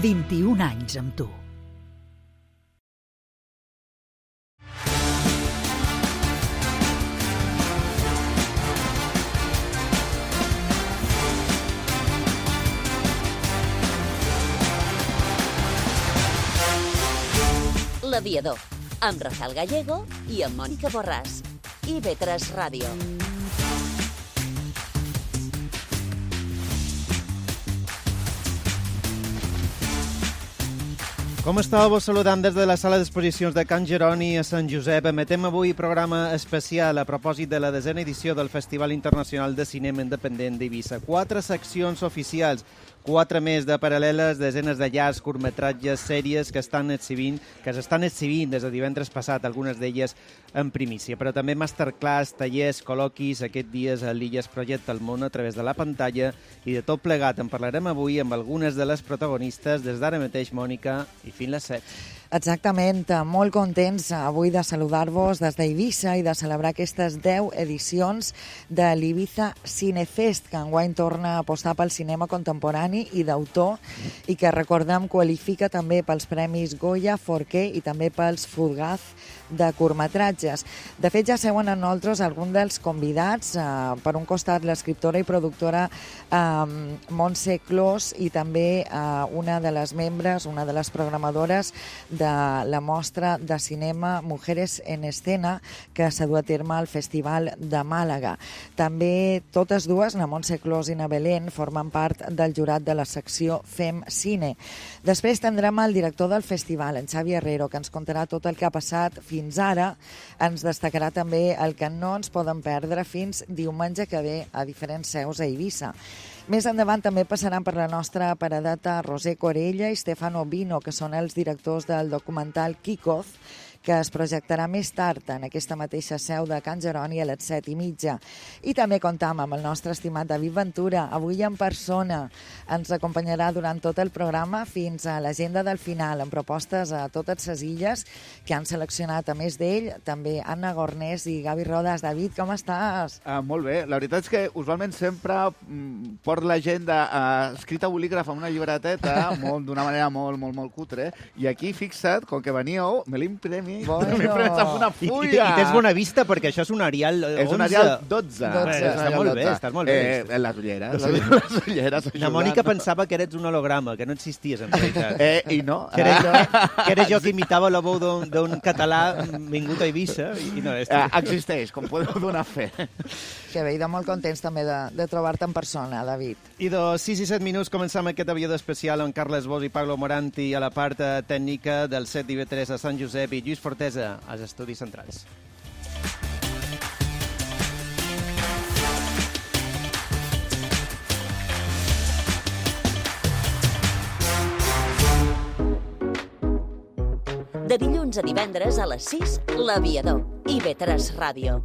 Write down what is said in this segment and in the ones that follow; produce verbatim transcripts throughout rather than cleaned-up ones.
vint-i-un anys amb tu. L'Aviador, amb Rafael Gallego i amb Mònica Borràs. i ve tres Ràdio. Com estàu? Vos saludam des de la sala d'exposicions de Can Jeroni a Sant Josep. Emetem avui programa especial a propòsit de la desena edició del Festival Internacional de Cinema Independent d'Eivissa. Quatre seccions oficials, quatre més de paral·leles, desenes de llargs, curtmetratges, sèries que estan exhibint, que s'estan exhibint des de divendres passat, algunes d'elles en primícia, però també masterclass, tallers, col·loquis, aquests dies a l'Illa es projecta el món a través de la pantalla, i de tot plegat en parlarem avui amb algunes de les protagonistes des d'ara mateix, Mònica, i fins les set. Exactament, molt contents avui de saludar-vos des d'Eivissa i de celebrar aquestes deu edicions de l'Ibiza Cinefest, que enguany torna a apostar pel cinema contemporani i d'autor i que, recordem, qualifica també pels premis Goya, Forqué i també pels Fugaz de curtmetratges. De fet, ja seuen en nosaltres alguns dels convidats, eh, per un costat l'escriptora i productora eh, Montse Clos i també eh, una de les membres, una de les programadores de la mostra de cinema Mujeres en Escena que s'ha dut a terme al Festival de Màlaga. També totes dues, na Montse Clos i na Belén, formen part del jurat de la secció Fem Cine. Després tindrem el director del festival, en Xavi Herrero, que ens contarà tot el que ha passat fins ara. Ens destacarà també el que no ens poden perdre fins diumenge que ve a diferents seus a Eivissa. Més endavant també passaran per la nostra paradeta Roser Corella i Stefano Bino, que són els directors del documental Kickoff, que es projectarà més tard en aquesta mateixa seu de Can Jeroni a les set i mitja. I també comptam amb el nostre estimat David Ventura, avui en persona. Ens acompanyarà durant tot el programa fins a l'agenda del final, amb propostes a totes les illes que han seleccionat, a més d'ell, també Anna Gornés i Gavi Rodas. David, com estàs? Ah, molt bé. La veritat és que usualment sempre mm, port l'agenda uh, escrita a bolígraf amb una llibreteta d'una manera molt, molt, molt cutre. I aquí, fixa't, com que veníeu, me l'he imprimit. Bueno. M'he pres amb una I, fulla. i, I tens bona vista perquè això és un Arial onze. És un Arial dotze. dotze. És un Està Arial molt bé, dotze. estàs molt bé. Eh, les ulleres. Les ulleres La Mònica pensava que eres un holograma, que no existies en realitat. Eh, I no. Que era jo, que era jo que imitava la veu d'un d'un català vingut a Eivissa i no és tu. Eh, existeix, com podeu donar fe. Que bé, i de molt contents també de, de trobar-te en persona, David. I de sis i set minuts començam aquest aviador especial amb Carles Bosch i Pablo Moranti a la part tècnica del set i ve tres a Sant Josep i Lluís Fortesa als estudis centrals. De dilluns a divendres a les sis, l'Aviador. i ve tres Ràdio.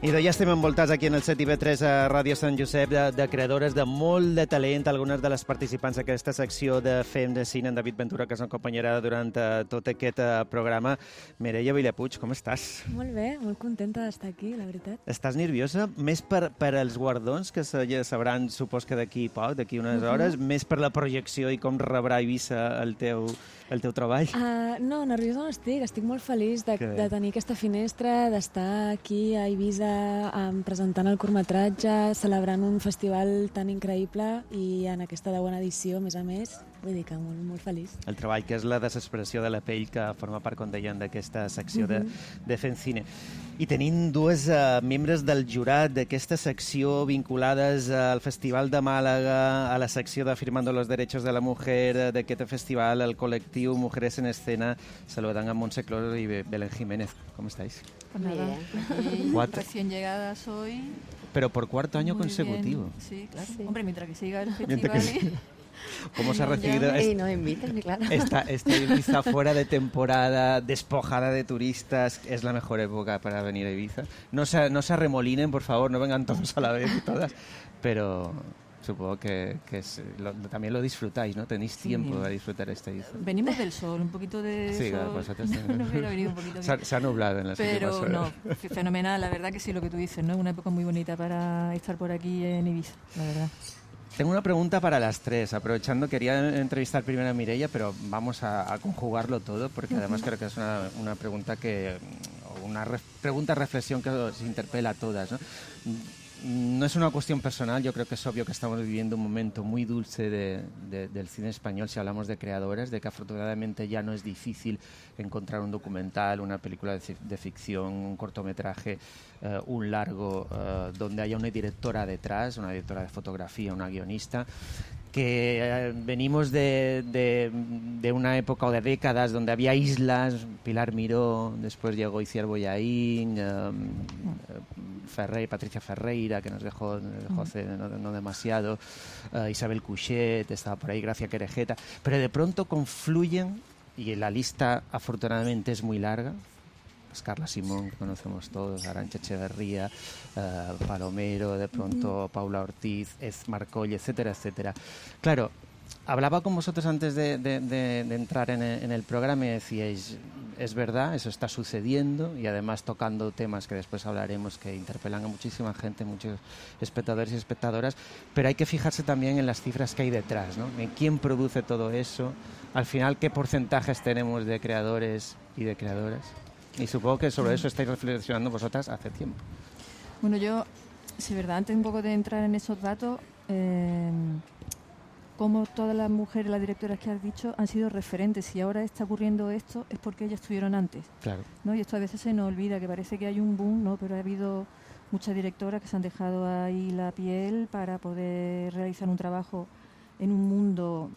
I de ja estem envoltats aquí en el set i ve tres a Ràdio Sant Josep de, de creadores de molt de talent, algunes de les participants d'aquesta secció de Fem de Cine, en David Ventura, que ens acompanyarà durant uh, tot aquest uh, programa. Mireia Villapuig, com estàs? Molt bé, molt contenta d'estar aquí, la veritat. Estàs nerviosa? Més per, per els guardons, que se, ja sabran, supos que d'aquí poc, d'aquí unes Uh-huh. hores, més per la projecció i com rebrà Eivissa el teu, el teu treball? Uh, no, nerviosa no estic, estic molt feliç de, de tenir aquesta finestra, d'estar aquí a Eivissa um, presentant el curtmetratge, celebrant un festival tan increïble i en aquesta deuena edició, a més a més, vull dir que molt, molt feliç. El treball que és la desesperació de la pell, que forma part, com deien, d'aquesta secció uh-huh. de, de Fem Cine. I tenim dues uh, membres del jurat d'aquesta secció vinculades al Festival de Màlaga, a la secció de Firmando los Derechos de la Mujer d'aquest festival, el col·lectiu Mujeres en Escena. Saludant a Montse Clos y Belén Jiménez. ¿Cómo estáis? Pues nada, bien. Recién llegada soy. Pero por cuarto año Muy consecutivo. bien. Sí, claro. Sí. Hombre, mientras que siga el Mientras festival. que y- ¿Cómo se ha recibido? Y nos invitan, claro. Esta, esta Ibiza fuera de temporada, despojada de turistas, es la mejor época para venir a Ibiza. No se, no se arremolinen, por favor, no vengan todos a la vez y todas, pero, Supongo que, que es, lo, también lo disfrutáis, ¿no? Tenéis Sí. tiempo para disfrutar esta Ibiza. Venimos del sol, un poquito de Sí, sol. claro, vosotros no, no hubiera venido un poquito se, ha, bien. se ha nublado en las Pero últimas horas. no, f- fenomenal, la verdad que sí, lo que tú dices, ¿no? Es una época muy bonita para estar por aquí en Ibiza, la verdad. Tengo una pregunta para las tres. Aprovechando, quería entrevistar primero a Mireia, pero vamos a, a conjugarlo todo, porque además creo que es una, una pregunta que, una re, pregunta reflexión que os interpela a todas, ¿no? No es una cuestión personal, yo creo que es obvio que estamos viviendo un momento muy dulce de, de, del cine español si hablamos de creadores, de que afortunadamente ya no es difícil encontrar un documental, una película de, de ficción, un cortometraje, uh, un largo, uh, donde haya una directora detrás, una directora de fotografía, una guionista, que eh, venimos de, de, de una época o de décadas donde había islas, Pilar Miró, después llegó Itziar Bollaín, eh, Ferrey, Patricia Ferreira, que nos dejó, nos dejó hace no, no demasiado, eh, Isabel Cuixet, estaba por ahí, Gracia Querejeta, pero de pronto confluyen, y la lista afortunadamente es muy larga, pues Carla Simón, que conocemos todos, Arantxa Echeverría, uh, Palomero, de pronto uh-huh. Paula Ortiz, Ez Marcoll, etcétera, etcétera. Claro, hablaba con vosotros antes de, de, de, de entrar en el, en el programa y decíais, es verdad, eso está sucediendo, y además tocando temas que después hablaremos que interpelan a muchísima gente, muchos espectadores y espectadoras, pero hay que fijarse también en las cifras que hay detrás, ¿no? En quién produce todo eso, al final qué porcentajes tenemos de creadores y de creadoras. Y supongo que sobre eso estáis reflexionando vosotras hace tiempo. Bueno, yo, sí, verdad, antes un poco de entrar en esos datos, eh, como todas las mujeres, las directoras que has dicho, han sido referentes. Si ahora está ocurriendo esto, es porque ellas estuvieron antes. Claro. ¿No? Y esto a veces se nos olvida, que parece que hay un boom, ¿no? Pero ha habido muchas directoras que se han dejado ahí la piel para poder realizar un trabajo en un mundo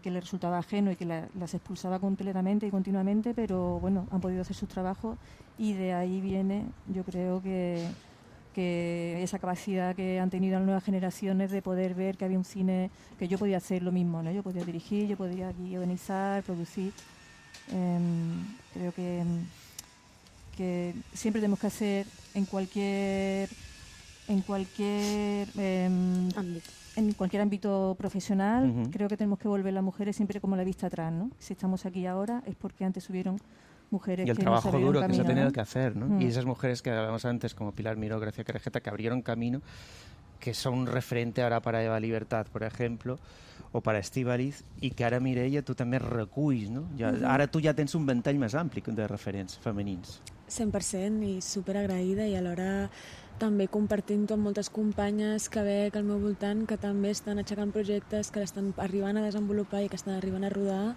que les resultaba ajeno y que la, las expulsaba completamente y continuamente, pero bueno, han podido hacer sus trabajos, y de ahí viene, yo creo que, que esa capacidad que han tenido las nuevas generaciones de poder ver que había un cine, que yo podía hacer lo mismo, ¿no? Yo podía dirigir, yo podía guionizar, producir. Eh, creo que, que siempre tenemos que hacer en cualquier en cualquier eh, ámbito. En cualquier ámbito profesional, uh-huh. creo que tenemos que volver las mujeres siempre como la vista atrás, ¿no? Si estamos aquí ahora es porque antes hubieron mujeres y el que trabajo nos duro camino, que se ha tenido ¿no? que hacer, ¿no? Mm. Y esas mujeres que hablábamos antes, como Pilar Miró, Gracia Querejeta, que abrieron camino, que son un referente ahora para Eva Libertad, por ejemplo, o para Estíbaliz, i que ara, Mireia, tu també reculls, no? Ja, uh-huh. Ara tu ja tens un ventall més ampli de referents femenins. cent per cent, i superagraïda, i alhora també compartint-ho amb moltes companyes que veig al meu voltant que també estan aixecant projectes, que l'estan arribant a desenvolupar i que estan arribant a rodar,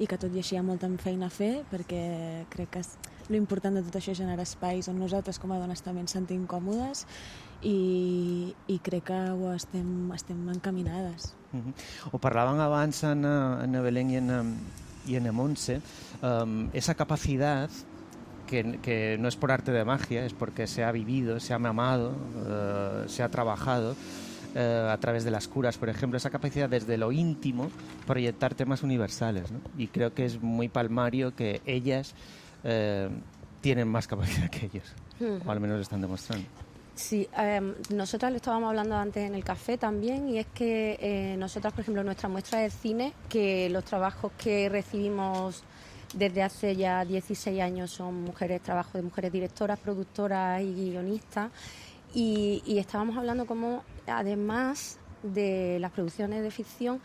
i que tot i així hi ha molta feina a fer, perquè crec que l'important de tot això és generar espais on nosaltres com a dones també ens sentim còmodes, i, i crec que ho estem, estem encaminades. Uh-huh. Ho parlaven abans en, en Belén i en, i en Montse, um, esa capacidad Que, que no es por arte de magia, es porque se ha vivido, se ha mamado, uh, se ha trabajado uh, a través de las curas, por ejemplo, esa capacidad desde lo íntimo proyectar temas universales, ¿no? Y creo que es muy palmario que ellas uh, tienen más capacidad que ellos, uh-huh. o al menos lo están demostrando. Sí, eh, nosotras lo estábamos hablando antes en el café también, y es que eh, nosotras, por ejemplo, nuestra muestra de cine, que los trabajos que recibimos desde hace ya dieciséis años son mujeres, trabajo de mujeres directoras, productoras y guionistas, y, y estábamos hablando como, además de las producciones de ficción,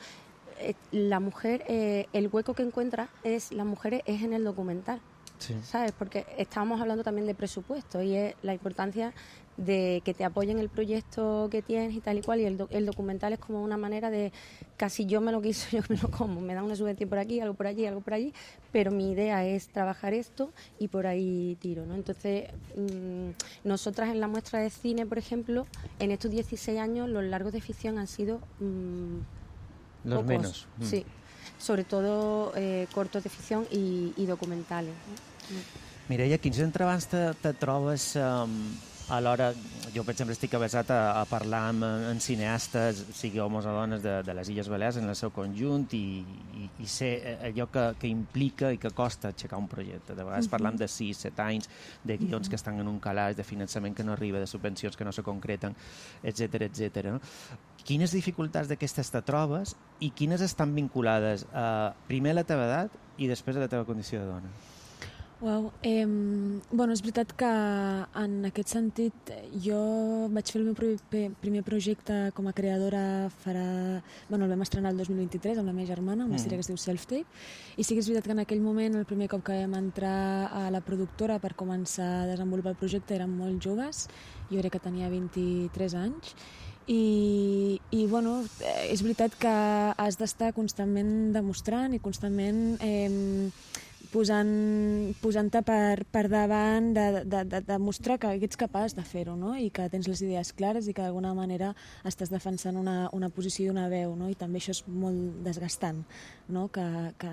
eh, la mujer, eh, el hueco que encuentra es las mujeres es en el documental. Sí. ¿Sabes? Porque estábamos hablando también de presupuesto, y es la importancia de que te apoyen el proyecto que tienes y tal y cual, y el, do, el documental es como una manera de casi yo me lo quiso, yo me lo como, me da una subvención por aquí, algo por allí, algo por allí, pero mi idea es trabajar esto y por ahí tiro, ¿no? Entonces, mmm, nosotras en la muestra de cine, por ejemplo, en estos dieciséis años los largos de ficción han sido mmm, los pocos, menos. Mm. Sí, sobre todo eh, cortos de ficción y, y documentales, ¿no? Mireia, quins entrebancs te, te trobes um, alhora, jo, per exemple, estic avesat a, a parlar amb, amb cineastes, sigui homes o dones, de, de les Illes Balears en el seu conjunt i, i, i sé allò que, que implica i que costa aixecar un projecte. De vegades uh -huh. parlam de sis, set anys, de guions uh -huh. que estan en un calaix, de finançament que no arriba, de subvencions que no se concreten, etcètera, etcètera. No? Quines dificultats d'aquestes te trobes i quines estan vinculades a, primer a la teva edat i després a la teva condició de dona? Uau, eh, bueno, és veritat que en aquest sentit jo vaig fer el meu primer projecte com a creadora farà... Bueno, el vam estrenar el dos mil vint-i-tres amb la meva germana, una mm. sèrie que es diu Self-Tape, i sí que és veritat que en aquell moment, el primer cop que vam entrar a la productora per començar a desenvolupar el projecte érem molt joves, jo crec que tenia vint-i-tres anys, i, i bueno, és veritat que has d'estar constantment demostrant i constantment... Eh, posant, posant-te per, per davant de, de, de, de mostrar que ets capaç de fer-ho, no? I que tens les idees clares i que d'alguna manera estàs defensant una, una posició i una veu, no? I també això és molt desgastant, no? Que, que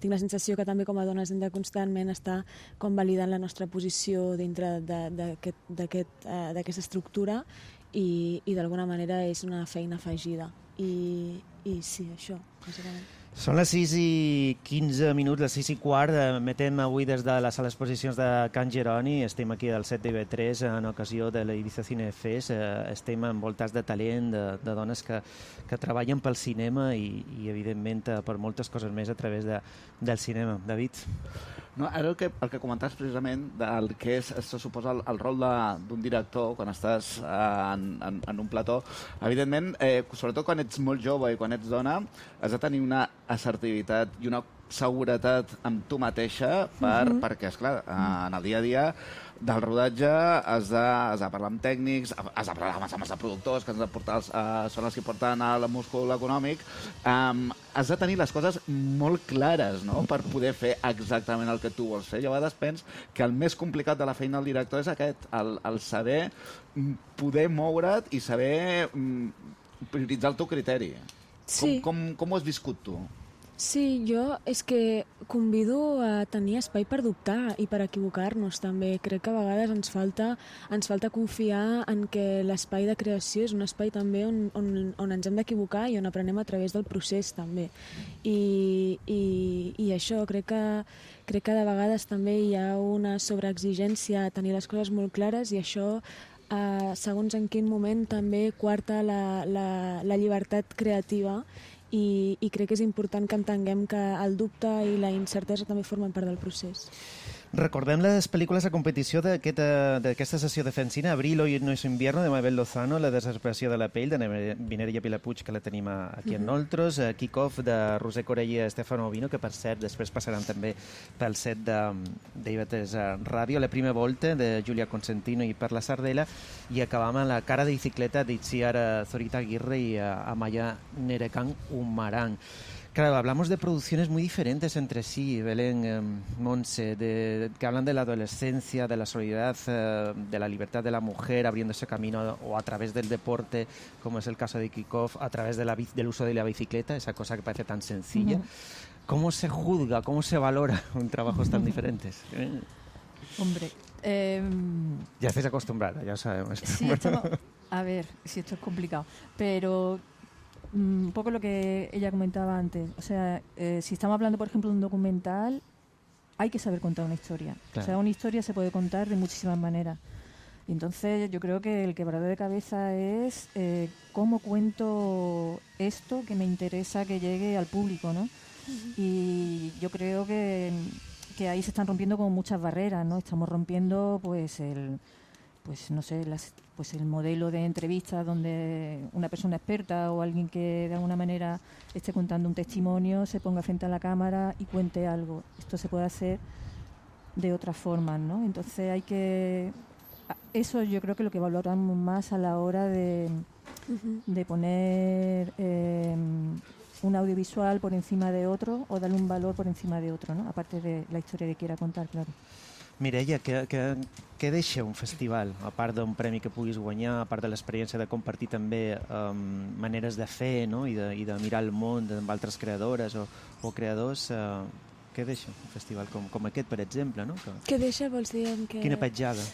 tinc la sensació que també com a dones hem de constantment estar com validant la nostra posició dintre d'aquesta uh, estructura i, i d'alguna manera és una feina afegida. I, i sí, això, bàsicament. Són les sis i quinze minuts, les sis i quart. Emetem avui des de la sala d'exposicions de Can Jeroni. Estem aquí al set de I V tres en ocasió de la Ibiza Cine Fest. Estem envoltats de talent, de, de dones que, que treballen pel cinema i, i evidentment, per moltes coses més a través de, del cinema. David? No, ara el que, el que comentaves precisament del que és, se suposa el, el rol d'un director quan estàs eh, en, en, en un plató, evidentment, eh, sobretot quan ets molt jove i quan ets dona, has de tenir una assertivitat i una seguretat amb tu mateixa per, uh-huh. perquè, esclar, en el dia a dia del rodatge has de, has de parlar amb tècnics, has de parlar amb els productors, que has de portar els, uh, són els que porten el múscul econòmic. Um, has de tenir les coses molt clares, no?, per poder fer exactament el que tu vols fer. Jo a vegades penso que el més complicat de la feina del director és aquest, el, el saber poder moure't i saber um, prioritzar el teu criteri. Sí. Com, com, com ho has viscut tu? Sí, jo és que convido a tenir espai per dubtar i per equivocar-nos també. Crec que a vegades ens falta, ens falta confiar en que l'espai de creació és un espai també on, on, on ens hem d'equivocar i on aprenem a través del procés també. I, i, i això, crec que, crec que de vegades també hi ha una sobreexigència a tenir les coses molt clares i això eh, segons en quin moment també quarta la, la, la llibertat creativa. I, i crec que és important que entenguem que el dubte i la incertesa també formen part del procés. Recordem les pel·lícules a competició d'aquesta sessió de Fencina, Abril, Hoy no es invierno, de Mabel Lozano, La desesperació de la pell, de Mireia Vilapuig, que la tenim aquí amb nosaltres, Kick-Off, de Roser Corell i Stefano Ovino, que per cert després passaran també pel set d'I V tres Ràdio, La prima volta, de Julia Consentino i Perla Sardella, i acabam amb La cara de bicicleta d'Itziar Zorita Aguirre y Amaya Nerekan Umarán. Claro, hablamos de producciones muy diferentes entre sí, Belén, eh, Montse, de, que hablan de la adolescencia, de la solidaridad, eh, de la libertad de la mujer abriéndose camino o a través del deporte, como es el caso de Kick-Off, a través de la, del uso de la bicicleta, esa cosa que parece tan sencilla. Uh-huh. ¿Cómo se juzga, cómo se valora en trabajos tan diferentes? Hombre, eh... ya estáis acostumbrada, ya sabemos. Sí, estamos... A ver, si esto es complicado, pero... un poco lo que ella comentaba antes, o sea, eh, si estamos hablando, por ejemplo, de un documental, hay que saber contar una historia. Claro. O sea, una historia se puede contar de muchísimas maneras. Y entonces yo creo que el quebradero de cabeza es eh, cómo cuento esto que me interesa que llegue al público, ¿no? Uh-huh. Y yo creo que, que ahí se están rompiendo como muchas barreras, ¿no? Estamos rompiendo, pues, el... pues no sé, las, pues el modelo de entrevistas donde una persona experta o alguien que de alguna manera esté contando un testimonio se ponga frente a la cámara y cuente algo. Esto se puede hacer de otras formas, ¿no? Entonces hay que... Eso yo creo que lo que valoramos más a la hora de, uh-huh. de poner eh, un audiovisual por encima de otro o darle un valor por encima de otro, ¿no? Aparte de la historia que quiera contar, claro. Mireia, què, què, què deixa un festival? A part d'un premi que puguis guanyar, a part de l'experiència de compartir també um, maneres de fer, no? I, de, i de mirar el món amb altres creadores o, o creadors, uh, què deixa un festival com, com aquest, per exemple? No? Que... Què deixa, vols dir? Que... Quina petjada?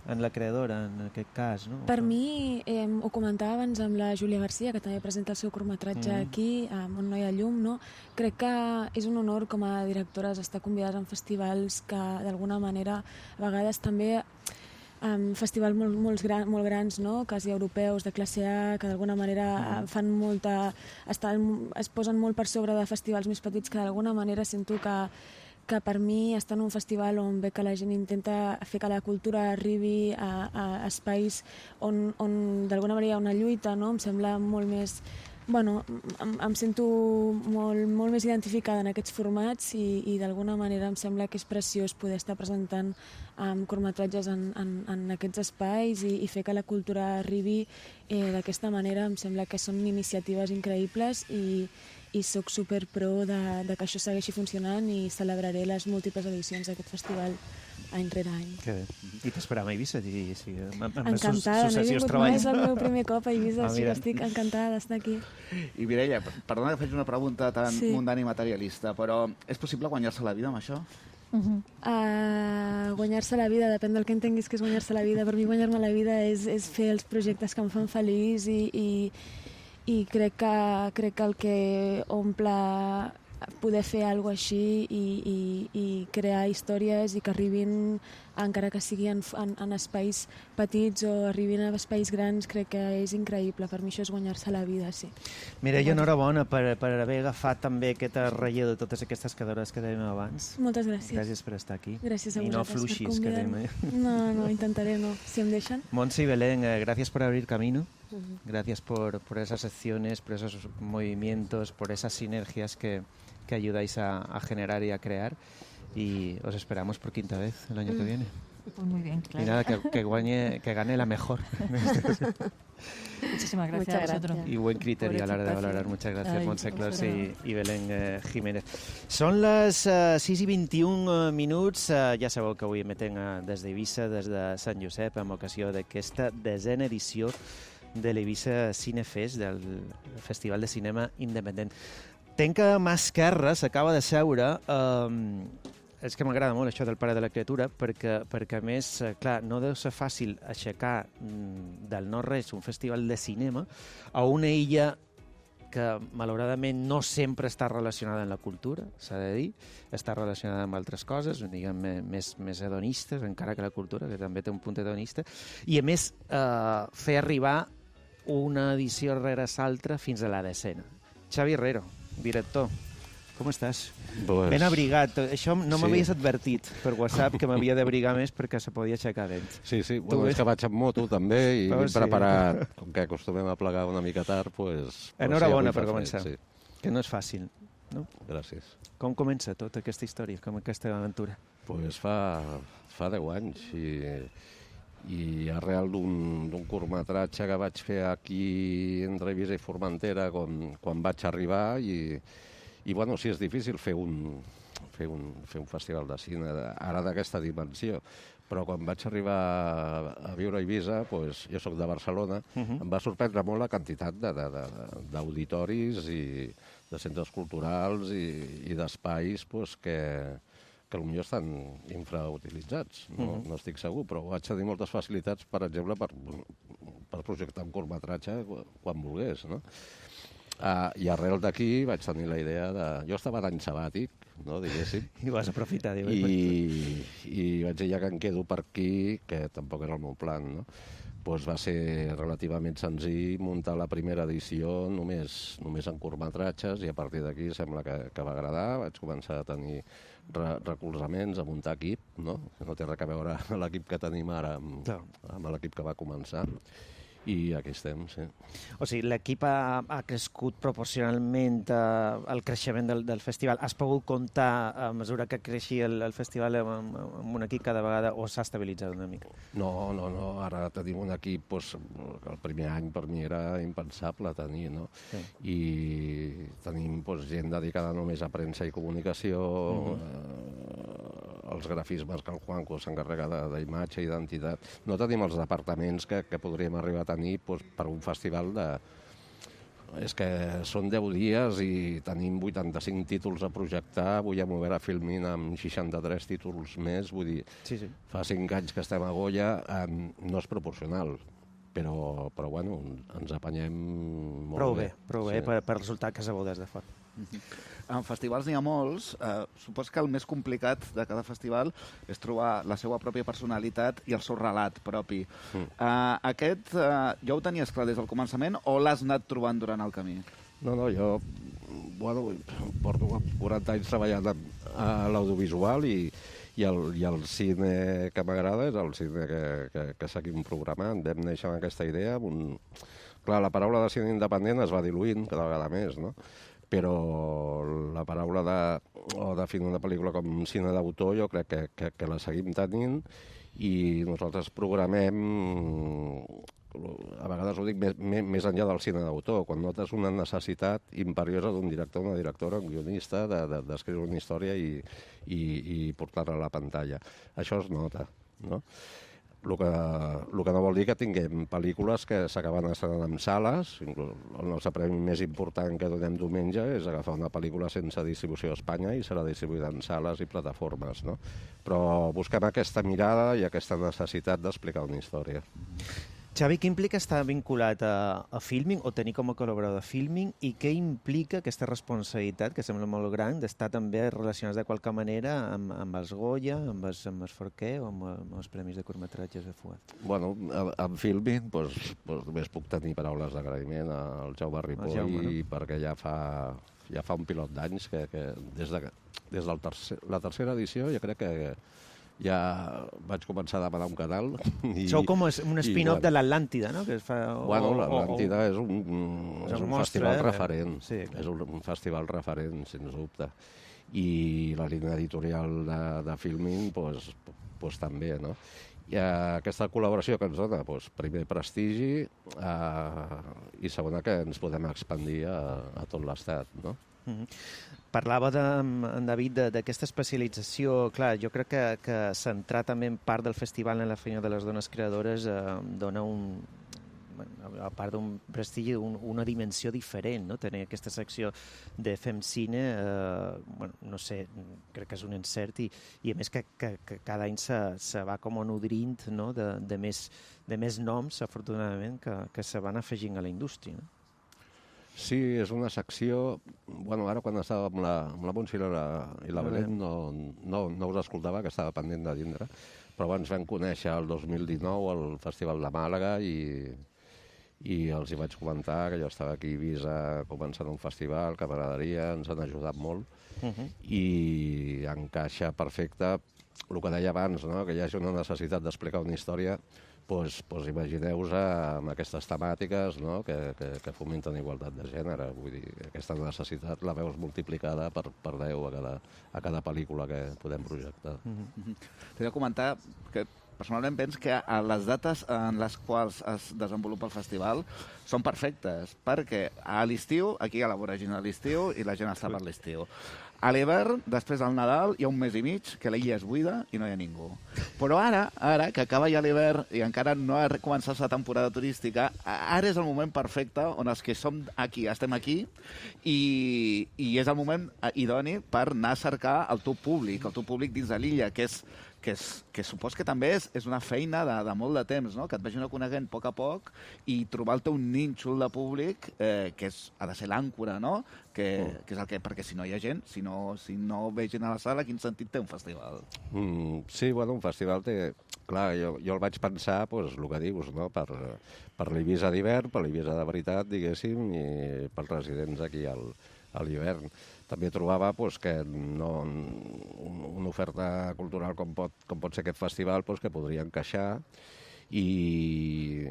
en la creadora, en aquest cas, no? Per mi, eh, ho comentava abans amb la Júlia Garcia, que també presenta el seu curtmetratge mm. aquí, um, On no hi ha llum, no? Crec que és un honor com a directores estar convidades en festivals que d'alguna manera a vegades també um, festivals molt, molt, gran, molt grans, no? Quasi europeus, de classe A, que d'alguna manera mm. fan molta... Estan, es posen molt per sobre de festivals més petits que d'alguna manera sento que que per mi estar en un festival on ve que la gent intenta fer que la cultura arribi a, a espais on, on d'alguna manera hi ha una lluita, no? Em sembla molt més... Bueno, em, em sento molt, molt més identificada en aquests formats i, i d'alguna manera em sembla que és preciós poder estar presentant um, curtmetratges en, en, en aquests espais i, i fer que la cultura arribi eh, d'aquesta manera. Em sembla que són iniciatives increïbles i i sóc super pro de, de que això segueixi funcionant i celebraré les múltiples edicions d'aquest festival any rere any. Que bé. I t'esperàvem a Eivissa? I, sí, amb, amb encantada, no he vingut mai, és el meu primer cop a Eivissa, ah, sí que estic encantada d'estar aquí. I Mireia, perdona que faig una pregunta tan sí. mundana i materialista, però és possible guanyar-se la vida amb això? Uh-huh. Uh, guanyar-se la vida, depèn del que entenguis que és guanyar-se la vida. Per mi guanyar-me la vida és, és fer els projectes que em fan feliç i, i i crec que, crec que el que omple poder fer alguna cosa així i, i, i crear històries i que arribin, encara que sigui en, en, en espais petits o arribin a espais grans, crec que és increïble. Per mi això és guanyar-se la vida, sí. Mireia, enhorabona per, per haver agafat també aquesta relleu de totes aquestes quedadores que dèiem abans. Moltes gràcies. Gràcies per estar aquí. Gràcies a I no vosaltres fluixis, per convidar-me. No, no, intentaré no, si em deixen. Montse y Belén, eh, gracias por abrir camino. Uh-huh. Gracias por, por esas secciones, por esos movimientos, por esas sinergias que, que ayudáis a, a generar y a crear. Y os esperamos por quinta vez el año mm. que viene. Pues muy bien, claro. Y nada, que, que, guañe, que gane la mejor. Muchísimas gracias Muchas a vosotros. gracias. Y buen criterio a la hora de valorar. Muchas gracias, Ay, Montse Clos y, y Belén eh, Jiménez. Són les uh, sis i vint-i-un uh, minuts. Uh, ja sabeu que avui emetem uh, des d'Eivissa, des de Sant Josep, amb ocasió d'aquesta desena edició de l'Eivissa Cinefest, del Festival de Cinema Independent. Tenc que mà esquerra s'acaba de seure... Um, és que m'agrada molt això del pare de la criatura, perquè, perquè a més, clar, no deu ser fàcil aixecar mm, del no-res un festival de cinema a una illa que malauradament no sempre està relacionada amb la cultura, s'ha de dir, està relacionada amb altres coses, diguem, més, més hedonistes, encara que la cultura, que també té un punt hedonista, i a més eh, fer arribar una edició rere l'altra fins a la decena. Xavi Herrero, director, com estàs? Pues... Ben abrigat. Això no sí. m'havies advertit per WhatsApp que m'havia d'abrigar més perquè se podia aixecar vent. Sí, sí. Bueno, és que vaig amb moto també i Però ben sí. preparat. Com que acostumem a plegar una mica tard, pues... Enhorabona sí, per començar. Sí. Que no és fàcil, no? Gràcies. Com comença tota aquesta història, com aquesta aventura? Pues fa, fa deu anys i, i arrel d'un curtmetratge que vaig fer aquí entre Eivissa i Formentera quan, quan vaig arribar i... I, bueno, sí, és difícil fer un, fer un, fer un festival de cine ara d'aquesta dimensió, però quan vaig arribar a viure a Eivissa, pues, jo sóc de Barcelona, uh-huh. em va sorprendre molt la quantitat d'auditoris i de centres culturals i, i d'espais pues, que, que potser estan infrautilitzats. No, uh-huh. no estic segur, però vaig tenir moltes facilitats, per exemple, per, per projectar un curtmetratge quan volgués, no? Uh, I arrel d'aquí vaig tenir la idea de... Jo estava d'any sabàtic, no, diguéssim. I vas aprofitar, diu. I, I vaig dir, ja que em quedo per aquí, que tampoc era el meu plan, no? Pues va ser relativament senzill muntar la primera edició només, només en curtmetratges i a partir d'aquí sembla que, que va agradar. Vaig començar a tenir re recolzaments, a muntar equip, no? No té res a veure l'equip que tenim ara amb, no. amb l'equip que va començar. I aquí estem, sí. O sigui, l'equip ha, ha crescut proporcionalment eh, al creixement del, del festival. Has pogut comptar, a mesura que creixia el, el festival, amb, amb un equip cada vegada, o s'ha estabilitzat una mica? No, no, no. Ara tenim un equip, doncs, el primer any per mi era impensable tenir, no? Sí. I tenim doncs, gent dedicada només a premsa i comunicació, mm-hmm. eh, els grafismes que el Juanco s'encarrega d'imatge i d'identitat. No tenim els departaments que, que podríem arribar a tenir doncs, per un festival de, és que són deu dies i tenim vuitanta-cinc títols a projectar, avui hem obert a Filmin amb seixanta-tres títols més, vull dir, sí, sí. fa cinc anys que estem a Goya, eh, no és proporcional, però, però bueno, ens apanyem molt prou bé. bé. Prou bé, sí. per, per resultat que sabeu des de fora. En festivals n'hi ha molts. Eh, supos que el més complicat de cada festival és trobar la seva pròpia personalitat i el seu relat propi. Mm. Eh, aquest eh, ja ho tenies clar des del començament o l'has anat trobant durant el camí? No, no, jo bueno, porto quaranta anys treballant a l'audiovisual i, i, el, i el cine que m'agrada és el cine que, que, que seguim programant. Vam néixer amb aquesta idea. Amb un... Clar, la paraula de cine independent es va diluint cada vegada més, no? Però la paraula de, o definir una pel·lícula com cine d'autor jo crec que, que, que la seguim tenint i nosaltres programem, a vegades ho dic, més, més enllà del cine d'autor, quan notes una necessitat imperiosa d'un director, una directora, un guionista, d'escriure de, de, una història i, i, i portar-la a la pantalla. Això es nota, no? El que, el que no vol dir que tinguem pel·lícules que s'acaben estrenant en sales. Inclús el nostre premi més important que donem diumenge és agafar una pel·lícula sense distribució a Espanya i serà distribuïda en sales i plataformes, no? Però busquem aquesta mirada i aquesta necessitat d'explicar una història. Xavi, què implica estar vinculat a, a Filmin o tenir com a col·laborador de Filmin i què implica aquesta responsabilitat, que sembla molt gran, d'estar també relacionats de qualque manera amb, amb els Goya, amb els, amb els Forquer o amb, amb els Premis de curtmetratges de Fuat? Bueno, amb Filmin doncs, doncs, només puc tenir paraules d'agraïment al Jaume Ripoll, Jaume, no? Perquè ja fa, ja fa un pilot d'anys que, que des de, des de tercer, la tercera edició jo crec que ja vaig començar a demanar un canal. I, sou com un spin-off bueno, de l'Atlàntida, no? Que es fa, o, bueno, l'Atlàntida és un, és un mostre, festival eh? referent. Sí, és un, un festival referent, sens dubte. I la línia editorial de, de Filmin, pues, pues, també, no? I aquesta col·laboració que ens dona, pues, primer prestigi eh, i segona que ens podem expandir a, a tot l'estat, no? Mm-hmm. Parlava de, en David d'aquesta especialització. Clar, jo crec que, que centrar també en part del festival en la feina de les dones creadores eh, dona un, a part d'un prestigi, un, una dimensió diferent, no? Tenir aquesta secció de Fem Cine, eh, bueno, no sé, crec que és un encert i, i a més que, que, que cada any se, se va com nodrint, no? de, de, més, de més noms, afortunadament, que, que se van afegint a la indústria, no? Sí, és una secció... Bueno, ara quan estava amb la, amb la Montse i la, i la Belén no, no, no us escoltava, que estava pendent de vindre, però ens vam conèixer el dos mil dinou al Festival de Màlaga i, i els hi vaig comentar que jo estava aquí a Eivissa començant un festival, que m'agradaria, ens han ajudat molt, uh-huh. i encaixa perfecte el que deia abans, no? Que hi hagi una necessitat d'explicar una història. Pues, pues imagineu-vos amb aquestes temàtiques, no? que, que, que fomenten igualtat de gènere. Vull dir, aquesta necessitat la veus multiplicada per, per deu a cada, a cada pel·lícula que podem projectar. Mm-hmm. T'he de comentar que personalment penso que les dates en les quals es desenvolupa el festival són perfectes, perquè a l'estiu, aquí a la voragina de l'estiu, i la gent està per l'estiu. A l'hivern, després del Nadal, hi ha un mes i mig que l'illa és buida i no hi ha ningú. Però ara, ara que acaba ja l'hivern i encara no ha començat la temporada turística, ara és el moment perfecte on els que som aquí, estem aquí, i, i és el moment idoni per anar a cercar el teu públic, el teu públic dins de l'illa, que és que, és, que supos que també és, és una feina de, de molt de temps, no? Que et vagin coneguent a poc a poc i trobar el teu nínxol de públic, eh, que és, ha de ser l'àncora, no? Que, mm. que és el que, perquè si no hi ha gent, si no, si no ve gent a la sala, quin sentit té un festival? Mm, sí, bueno, un festival té... Clar, jo, jo el vaig pensar, pues, el que dius, no? Per, per l'Eivissa d'hivern, per l'Eivissa de veritat, diguéssim, i pels residents aquí al, a l'hivern. També trobava pues, que no, una oferta cultural com pot, com pot ser aquest festival pues, que podria encaixar i,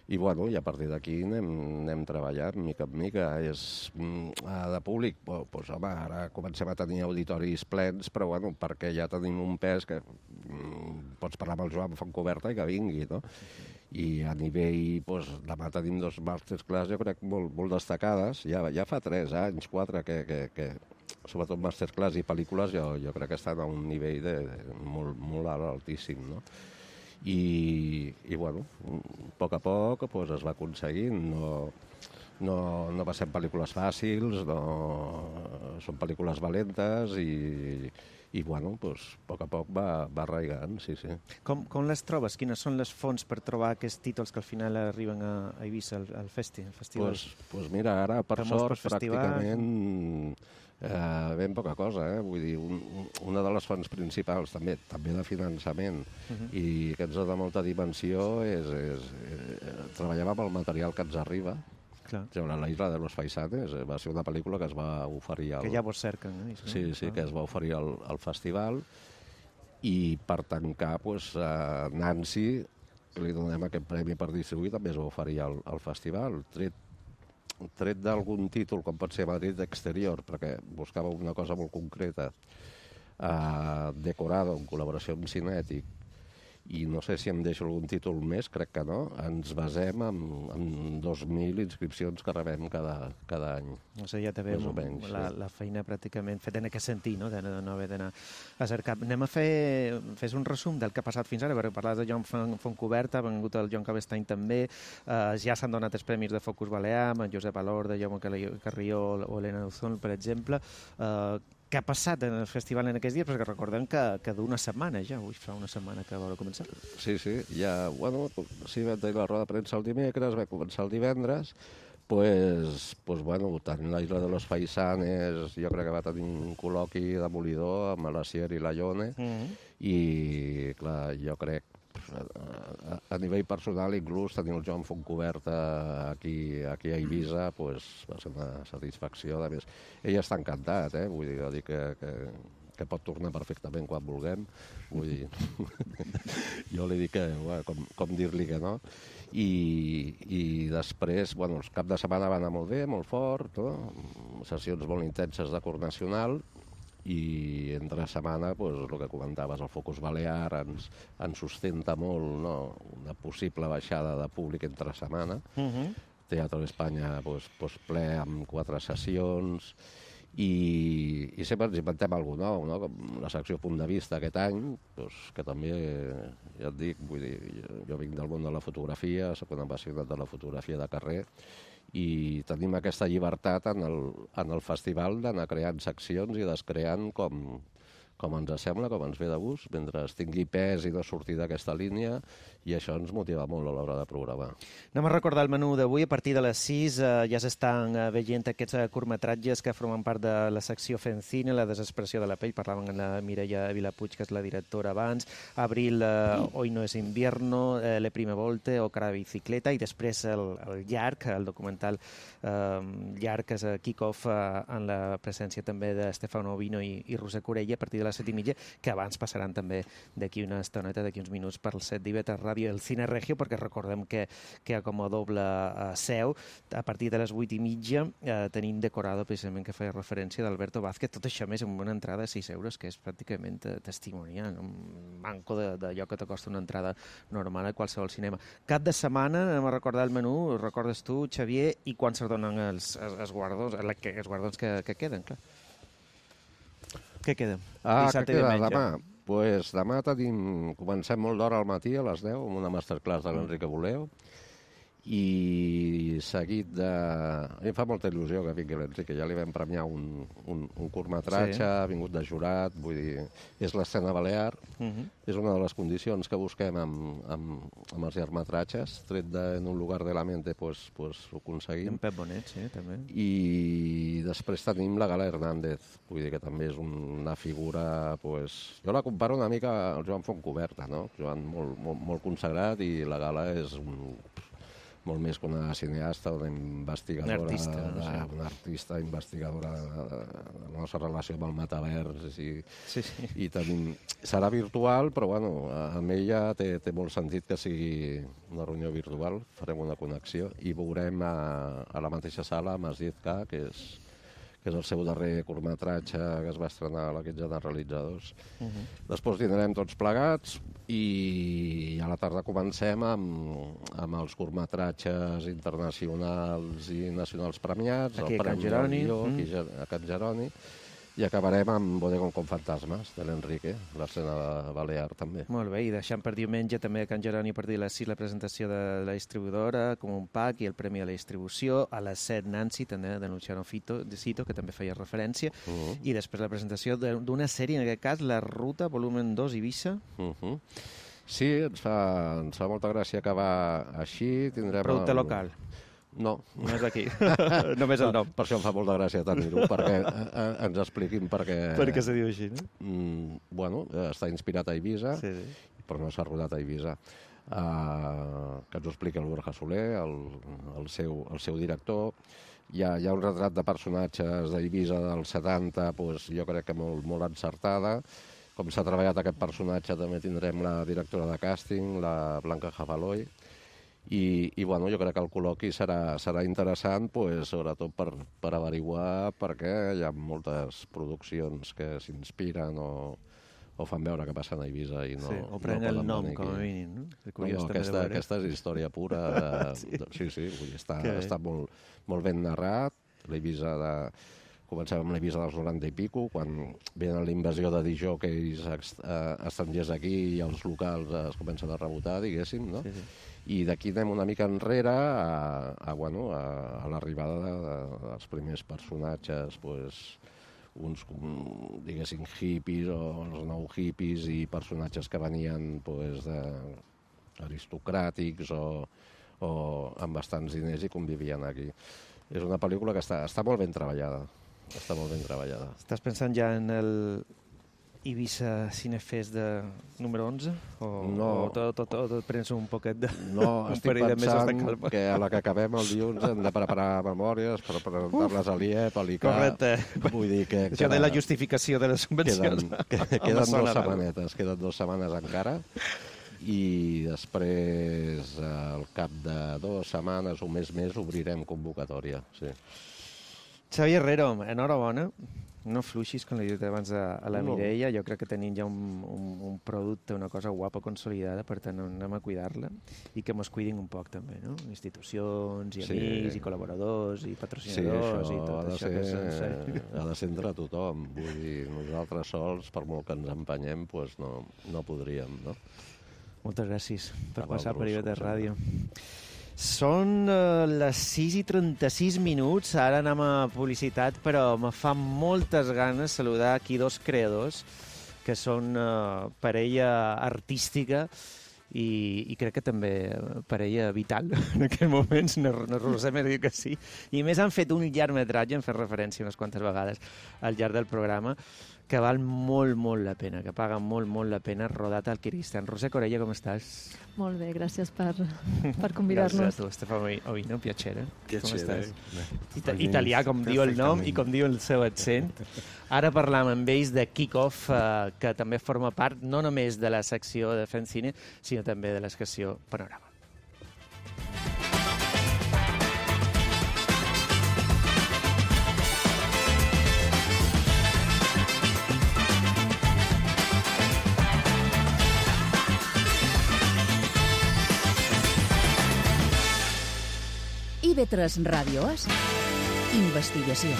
i, bueno, i a partir d'aquí anem, anem treballant mica en mica. És, de públic, pues, home, ara comencem a tenir auditoris plens, però bueno, perquè ja tenim un pes que mm, pots parlar amb el Joan Fontcoberta i que vingui, no? I a nivell, doncs, demà tenim dos masterclass, jo crec, molt, molt destacades. Ja, ja fa tres anys, quatre, que, que, que sobretot masterclass i pel·lícules, jo, jo crec que estan a un nivell de, de molt, molt alt, altíssim, no? I, i bueno, a poc a poc pues, es va aconseguint. No, no, no passem pel·lícules fàcils, no, són pel·lícules valentes i, i bueno, pues, a poc a poc va, va arraigant, sí, sí. Com, com les trobes? Quines són les fonts per trobar aquests títols que al final arriben a, a Eivissa, al, al, festi, al festival? Pues, pues mira, ara, per sort, pràcticament eh, ben poca cosa, eh? Vull dir, un, una de les fonts principals, també també de finançament, uh-huh. i que ens dona molta dimensió, és, és eh, treballem amb el material que ens arriba. Clar. La Isla de los Faisanes va ser una pel·lícula que es va oferir... Al... Que ja vos cerquen, eh? Sí, sí, que es va oferir al, al festival, i per tancar, pues, a Nancy li donem aquest premi per distribuir, també es va oferir al, al festival, tret, tret d'algun títol, com pot ser Madrid d'Exterior, perquè buscava una cosa molt concreta, eh, decorada en col·laboració amb Cinètic, i no sé si em deixo algun títol més, crec que no, ens basem en, en dos mil inscripcions que rebem cada, cada any. O sigui, ja te veiem la, sí. la feina pràcticament feta en aquest sentit, no? De no haver d'anar a cercar. Anem a fer fes un resum del que ha passat fins ara, perquè parlaves de Joan Fontcuberta, ha vengut el Joan Cabestany també, eh, ja s'han donat els premis de Focus Balear, amb Josep Alorda, Jaume Carrió o Elena Uzón, per exemple. Eh, Què ha passat en el festival en aquests dies? Perquè recordem que, que d'una setmana ja, ui, fa una setmana que va començar. Sí, sí, ja, bueno, sí, vam tenir la roda de premsa el dimecres, va començar el divendres, pues, pues bueno, tant la Isla de los Faisanes, jo crec que va tenir un col·loqui demolidor amb l'Asier i la Ione, mm-hmm. i, clar, jo crec, a, a nivell personal, inclús tenir el Joan Fontcuberta aquí, aquí a Eivissa, pues, va ser una satisfacció. A més, ell està encantat, eh? Vull dir, dir que, que, que pot tornar perfectament quan vulguem. Vull dir, jo li dic que, bueno, com, com dir-li que no. I, i després, bueno, els cap de setmana va anar molt bé, molt fort, no? Sessions molt intenses de cor nacional, i entre setmana, pues, el que comentaves, el Focus Balear ens, ens sustenta molt, no? Una possible baixada de públic entre setmana. Uh-huh. Teatre d'Espanya, pues, pues, ple amb quatre sessions, i, i sempre ens inventem alguna cosa nou, no? Com la secció Punt de Vista aquest any, pues, que també, ja et dic, vull dir, jo, jo vinc del món de la fotografia, soc un apassionat de la fotografia de carrer, i tenim aquesta llibertat en el, en el festival d'anar creant seccions i descreant com, com ens sembla, com ens ve de gust, mentre tingui pes i no sortir d'aquesta línia, i això ens motiva molt a l'hora de programar. Anem a recordar el menú d'avui. A partir de les sis eh, ja s'estan eh, veient aquests eh, curtmetratges que formen part de la secció Fent Cine, La desesperació de la pell, parlaven amb la Mireia Vilapuig, que és la directora abans, Abril, eh, Hoy no es invierno, eh, Le prime volte o Cara de bicicleta, i després el, el llarg, el documental eh, llarg, que és kick-off eh, en la presència també de Stefano Ovino i, i Roser Corella a partir de les set i mitja, que abans passaran també d'aquí una estoneta, d'aquí uns minuts, per el set d'I V T Ràdio El Cine Regio, perquè recordem que, que com a doble uh, seu, a partir de les vuit i mitja, uh, tenim decorada precisament, que feia referència d'Alberto Vázquez, tot això més amb una entrada de sis euros, que és pràcticament uh, testimonial, un manco d'allò que t'acosta una entrada normal a qualsevol cinema. Cap de setmana, anem a recordar el menú, recordes tu, Xavier, i quan se donen els, els, els guardons, els guardons que, que queden, clar. Què queda? Ah, què queda demà? Pues demà tenim, comencem molt d'hora al matí, a les deu, amb una masterclass de l'Enrique Boleo, i seguit de... A mi em fa molta il·lusió que vingui l'Enrique, ja li vam premiar un, un, un curtmetratge, sí. Ha vingut de jurat, vull dir, és l'escena balear, uh-huh. És una de les condicions que busquem amb, amb, amb els llargmetratges, tret de En un lugar de la mente, pues, pues ho aconseguim. En Pep Bonet, sí, també. I després tenim la Gala Hernández, vull dir que també és una figura, pues... Jo la comparo una mica al Joan Fontcuberta, no? Joan molt, molt, molt consagrat, i la Gala és un... molt més que una cineasta, una investigadora, una artista, de, sí. una artista investigadora de, de, de la nostra relació amb el metavers, i, sí, sí. I tenim... Serà virtual, però bueno, amb ella té, té molt sentit que sigui una reunió virtual, farem una connexió, i veurem a, a la mateixa sala Masjid K, que és, que és el seu darrer curtmetratge que es va estrenar a la Quinzena de Realitzadors. Uh-huh. Després dinarem tots plegats, i a la tarda comencem amb, amb els curtmetratges internacionals i nacionals premiats, aquí el a Can Jeroni, Guió, aquí mm. a Can Jeroni, I acabarem amb Bodegón con fantasmes, de l'Enrique, l'escena balear també. Molt bé, i deixant per diumenge també a Can Jeroni per dir a les sis la presentació de la distribuïdora, com un pack i el premi a la distribució, a les set Nancy, també de Luciano Fito, de Cito, que també feia referència, uh -huh. i després la presentació d'una sèrie, en aquest cas, La Ruta, volumen dos, Eivissa. Uh -huh. Sí, ens fa, ens fa molta gràcia acabar així. Tindrem Producte el... local. No. Només aquí. Només el nom. Per això em fa molta gràcia tenir-ho, perquè eh, ens expliquin per què... Per què se diu així, no? Mm, bueno, està inspirat a Eivissa, sí, sí. però no s'ha rodat a Eivissa. Uh, que ens ho expliqui el Borja Soler, el, el, seu, el seu director. Hi ha, hi ha un retrat de personatges d'Eivissa dels setanta, pues, jo crec que molt, molt encertada. Com s'ha treballat aquest personatge, també tindrem la directora de càsting, la Blanca Jafaloy. I, i bueno, jo crec que el col·loqui serà, serà interessant, pues, sobretot per, per averiguar per què hi ha moltes produccions que s'inspiren o, o fan veure que passen a Eivissa i no... Sí, o prenen no el nom, com a mínim, no? No, no, aquesta, aquesta és història pura. De, sí. sí, sí, vull dir, està, està molt, molt ben narrat. L'Eivissa de... Comencem amb l'Eivissa dels noranta i pico, quan venen la invasió de disjòqueis estrangers aquí i els locals es comencen a rebotar, diguéssim, no? Sí, sí. I d'aquí anem una mica enrere a, a, bueno, a, a l'arribada de, de, dels primers personatges, pues, uns, diguéssim, hippies o els nou hippies i personatges que venien pues, de, aristocràtics o, o amb bastants diners i convivien aquí. És una pel·lícula que està, està molt ben treballada. Està molt ben treballada. Estàs pensant ja en el Eivissa Cinefest de número onze? O, no. O tot, tot, tot, tot prens un poquet de... No, estic pensant que a la que acabem el dilluns hem de preparar memòries per presentar-les a l'I E P, a l'I C A. Correcte. Vull dir que... Això de la justificació de les subvencions. Queden, que, queden dues setmanetes, queden dues setmanes encara. I després, al cap de dues setmanes o més més, obrirem convocatòria, sí. Xavi Herrero, enhorabona. No fluixis, com li he dit abans a, a la no. Mireia. Jo crec que tenim ja un, un, un producte, una cosa guapa, consolidada, per tant anem a cuidar-la i que mos cuidin un poc també, no? Institucions i sí. amics i col·laboradors i patrocinadors sí, això i tot ha de això ser, que sense... ha de ser entre tothom. Vull dir, nosaltres sols, per molt que ens empenyem, pues no, no podríem, no? Moltes gràcies per A passar per I V T Ràdio. Són uh, les sis i trenta-sis minuts, ara anem a publicitat, però me fa moltes ganes saludar aquí dos creadors que són uh, parella artística i, i crec que també parella vital en aquests moments, no, no Roser m'ha dit que sí, i més han fet un llargmetratge, han fet referència unes quantes vegades al llarg del programa, que val molt, molt la pena, que paga molt, molt la pena, rodat al Kirguistan. Roser Corella, com estàs? Molt bé, gràcies per, per convidar-nos. Gràcies a tu, Stefano Ovino, piacere. Piacere. Ita italià, com diu el nom i com diu el seu accent. Ara parlam amb ells de Kick-Off, eh, que també forma part no només de la secció de Fent Cine, sinó també de la secció Panorama. I V tres Ràdio És Investigació.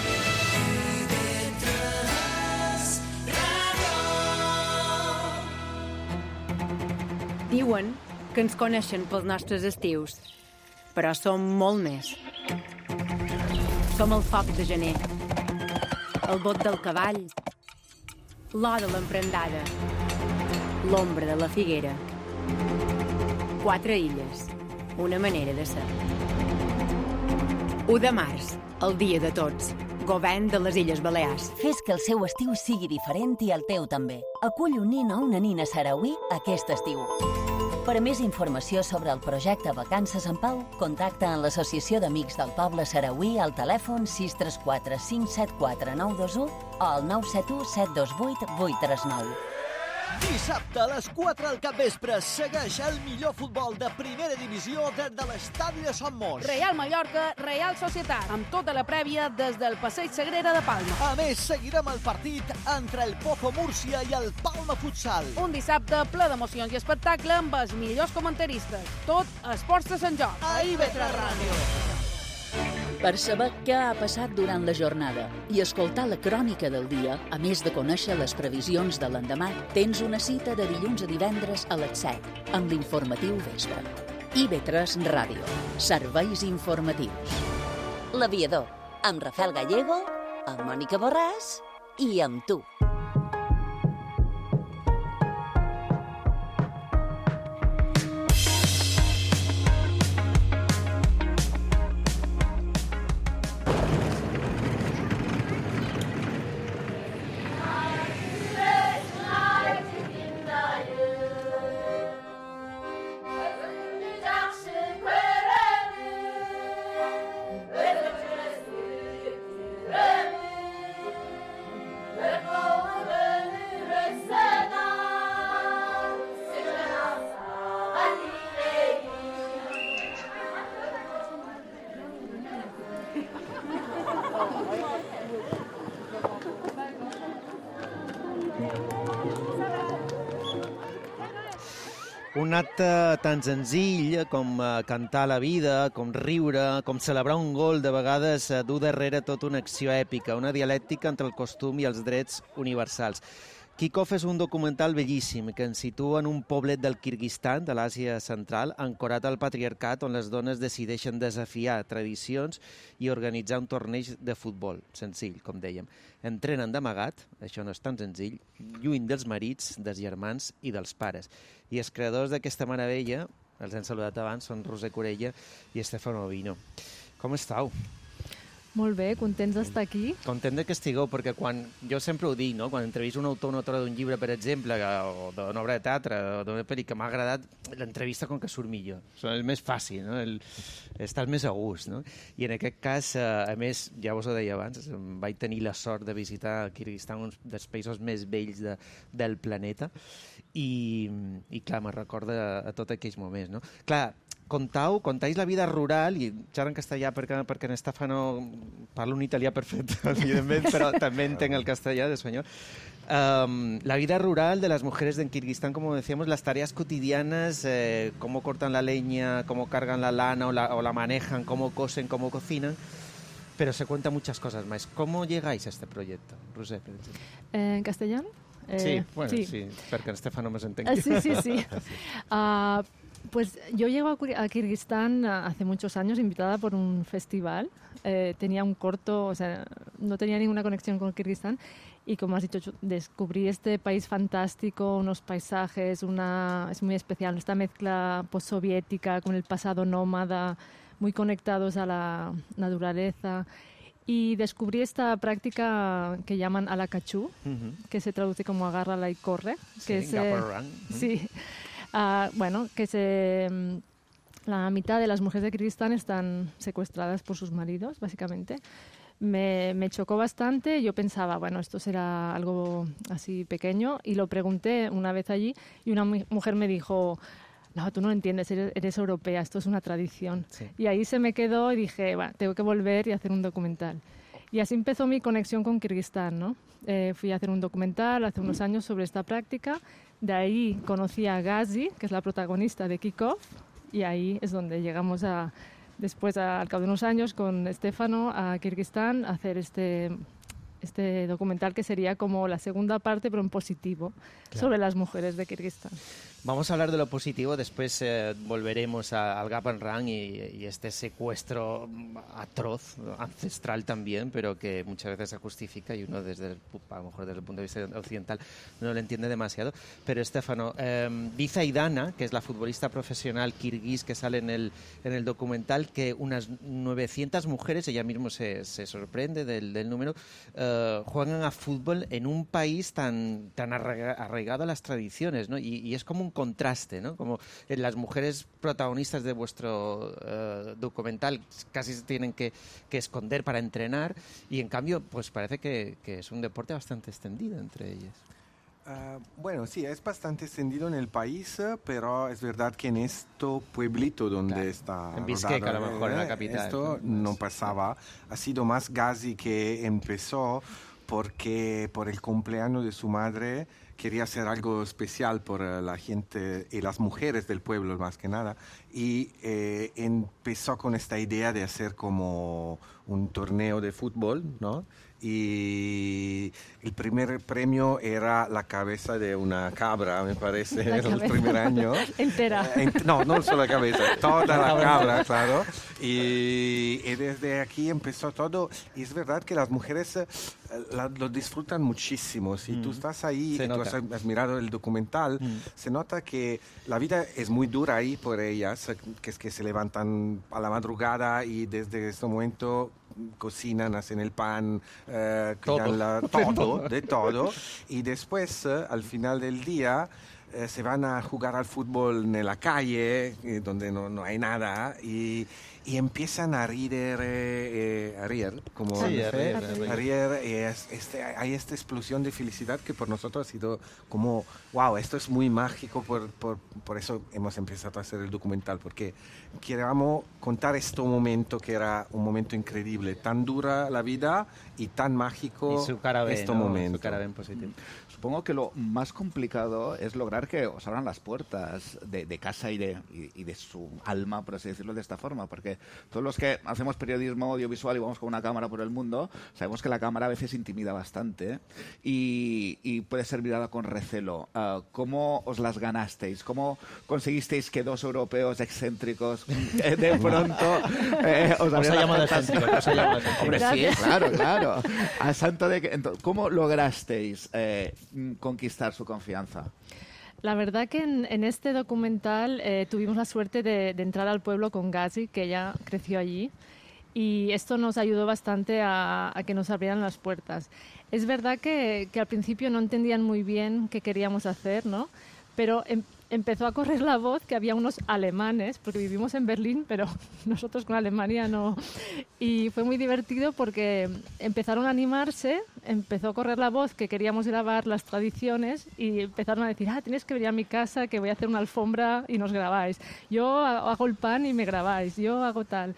Diuen que ens coneixen pels nostres estius, però som molt més. Som el foc de gener, el bot del cavall, l'or de l'emprendada, l'ombra de la figuera. Quatre illes, una manera de ser. u de març, el dia de tots. Govern de les Illes Balears. Fes que el seu estiu sigui diferent i el teu també. Acull un nin o una nina sarauí aquest estiu. Per a més informació sobre el projecte Vacances en Pau, contacta amb l'Associació d'Amics del Poble Sarauí al telèfon sis tres quatre cinc set quatre nou dos u o al nou set u set dos vuit vuit tres nou. Dissabte a les quatre al capvespre segueix el millor futbol de primera divisió des de l'estadi de Son Mos. Real Mallorca, Real Societat, amb tota la prèvia des del Passeig Sagrera de Palma. A més, seguirem el partit entre el Pozo Múrcia i el Palma Futsal. Un dissabte ple d'emocions i espectacle amb els millors comentaristes. Tot a Esports de Sant Jordi. A I V tres Ràdio. Per saber què ha passat durant la jornada i escoltar la crònica del dia, a més de conèixer les previsions de l'endemà, tens una cita de dilluns a divendres a les set, amb l'informatiu Vespre. I ve tres Ràdio. Serveis informatius. L'Aviador, amb Rafael Gallego, amb Mònica Borràs i amb tu. Un acte tan senzill com cantar la vida, com riure, com celebrar un gol, de vegades du darrere tota una acció èpica, una dialèctica entre el costum i els drets universals. Kick-Off és un documental bellíssim que ens situa en un poblet del Kirguistan, de l'Àsia Central, ancorat al patriarcat, on les dones decideixen desafiar tradicions i organitzar un torneig de futbol. Senzill, com dèiem. Entrenen d'amagat, això no és tan senzill, lluny dels marits, dels germans i dels pares. I els creadors d'aquesta meravella, els hem saludat abans, són Roser Corella i Stefano Vino. Com estàu? Molt bé, contents d'estar aquí. Content que estigueu, perquè quan, jo sempre ho dic, no? Quan entrevisto un autor o una autora d'un llibre, per exemple, o d'una obra de teatre, o d'una pel·li que m'ha agradat, l'entrevista com que surt millor. És més fàcil, no? El, estàs més a gust, no? I en aquest cas, a més, ja vos ho deia abans, vaig tenir la sort de visitar Kirguistan, un dels països més bells de, del planeta, i, i clar, me recorda a, a tots aquells moments, no? Clar, contau, contais la vida rural, i xerro en castellà perquè, perquè en Stefano parla un italià perfecte, evidentment, però també entenc el castellà de senyor. Um, la vida rural de las mujeres en Kirguistán, como decíamos, las tareas cotidianas, eh, cómo cortan la leña, cómo cargan la lana o la, o la manejan, cómo cosen, cómo cocinan, pero se cuentan muchas cosas más. ¿Cómo llegáis a este proyecto, Roser? Eh, ¿En castellano? Eh, sí, bueno, sí, sí porque en Stefano me entendí. Uh, sí, sí, sí. Uh, Pues yo llego a Kirguistán hace muchos años invitada por un festival. Eh, tenía un corto, o sea, no tenía ninguna conexión con Kirguistán y, como has dicho, descubrí este país fantástico, unos paisajes, una, es muy especial, esta mezcla postsoviética con el pasado nómada, muy conectados a la naturaleza. Y descubrí esta práctica que llaman alacachú, uh-huh. que se traduce como agárrala y corre. Que sí, es, eh, sí. Uh, bueno, que se, la mitad de las mujeres de Kirguistán están secuestradas por sus maridos, básicamente. Me, me chocó bastante. Yo pensaba, bueno, esto será algo así pequeño, y lo pregunté una vez allí y una mujer me dijo: no, tú no lo entiendes, eres, eres europea, esto es una tradición. Sí. Y ahí se me quedó y dije, bueno, tengo que volver y hacer un documental. Y así empezó mi conexión con Kirguistán, ¿no? Eh, fui a hacer un documental hace unos años sobre esta práctica. De ahí conocí a Gazi, que es la protagonista de Kick-Off, y ahí es donde llegamos a, después, a, al cabo de unos años, con Stefano a Kirguistán, a hacer este, este documental que sería como la segunda parte, pero en positivo, claro, sobre las mujeres de Kirguistán. Vamos a hablar de lo positivo, después eh, volveremos a, al Gap and Run y, y este secuestro atroz, ancestral también, pero que muchas veces se justifica y uno desde el, a lo mejor desde el punto de vista occidental no lo entiende demasiado. Pero Stefano, eh, dice Aidana, que es la futbolista profesional kirguís que sale en el, en el documental, que unas novecientas mujeres, ella mismo se, se sorprende del, del número, eh, juegan a fútbol en un país tan, tan arraigado a las tradiciones, ¿no? Y, y es como un contraste, ¿no? Como las mujeres protagonistas de vuestro uh, documental casi se tienen que, que esconder para entrenar, y en cambio pues parece que, que es un deporte bastante extendido entre ellas. Uh, bueno, sí, es bastante extendido en el país, pero es verdad que en este pueblito donde claro, está en Bishkek, a lo mejor, eh, en la capital, esto no pasaba. Ha sido más Gazi que empezó porque por el cumpleaños de su madre quería hacer algo especial por uh, la gente y las mujeres del pueblo más que nada, y eh, empezó con esta idea de hacer como un torneo de fútbol, ¿no? Y el primer premio era la cabeza de una cabra, me parece, La el cabeza. primer año. Entera. Eh, ent- no, no solo la cabeza, toda la cabra, claro. Y, y desde aquí empezó todo. Y es verdad que las mujeres eh, la- lo disfrutan muchísimo. Si Mm. tú estás ahí Se y tú nota. has, has mirado el documental, Mm. se nota que la vida es muy dura ahí por ellas, eh, que es que se levantan a la madrugada y desde este momento cocinan, hacen el pan, eh, Todo. cuidan la- De todo, todo. de todo. Y después, eh, al final del día, eh, se van a jugar al fútbol en la calle, eh, donde no, no hay nada, y, y empiezan a rir, eh, eh, a rir, como Sí, dice, a rir, a rir. a rir, y es- este, hay esta explosión de felicidad que por nosotros ha sido como, wow, esto es muy mágico, por, por, por eso hemos empezado a hacer el documental, porque queríamos contar este momento que era un momento increíble, tan dura la vida y tan mágico Y su cara B, este ¿no? momento. Su cara B positivo. Supongo que lo más complicado es lograr que os abran las puertas de, de casa y de, y, y de su alma, por así decirlo, de esta forma, porque todos los que hacemos periodismo audiovisual y vamos con una cámara por el mundo, sabemos que la cámara a veces intimida bastante y, y puede ser mirada con recelo. Uh, ¿Cómo os las ganasteis? ¿Cómo conseguisteis que dos europeos excéntricos eh, de pronto eh, os Os ha abrieran llamado las puertas? excéntrico, os ha llamado excéntrico. Hombre, sí, Gracias. claro, claro. A santo de que, entonces, ¿cómo lograsteis eh, mm, conquistar su confianza? La verdad que en, en este documental eh, tuvimos la suerte de, de entrar al pueblo con Gazi, que ella creció allí, y esto nos ayudó bastante a, a que nos abrieran las puertas. Es verdad que, que al principio no entendían muy bien qué queríamos hacer, ¿no? Pero em- empezó a correr la voz que había unos alemanes, porque vivimos en Berlín, pero nosotros con Alemania no. Y fue muy divertido porque empezaron a animarse, empezó a correr la voz que queríamos grabar las tradiciones y empezaron a decir, ah, tienes que venir a mi casa, que voy a hacer una alfombra y nos grabáis. Yo ha- hago el pan y me grabáis, yo hago tal.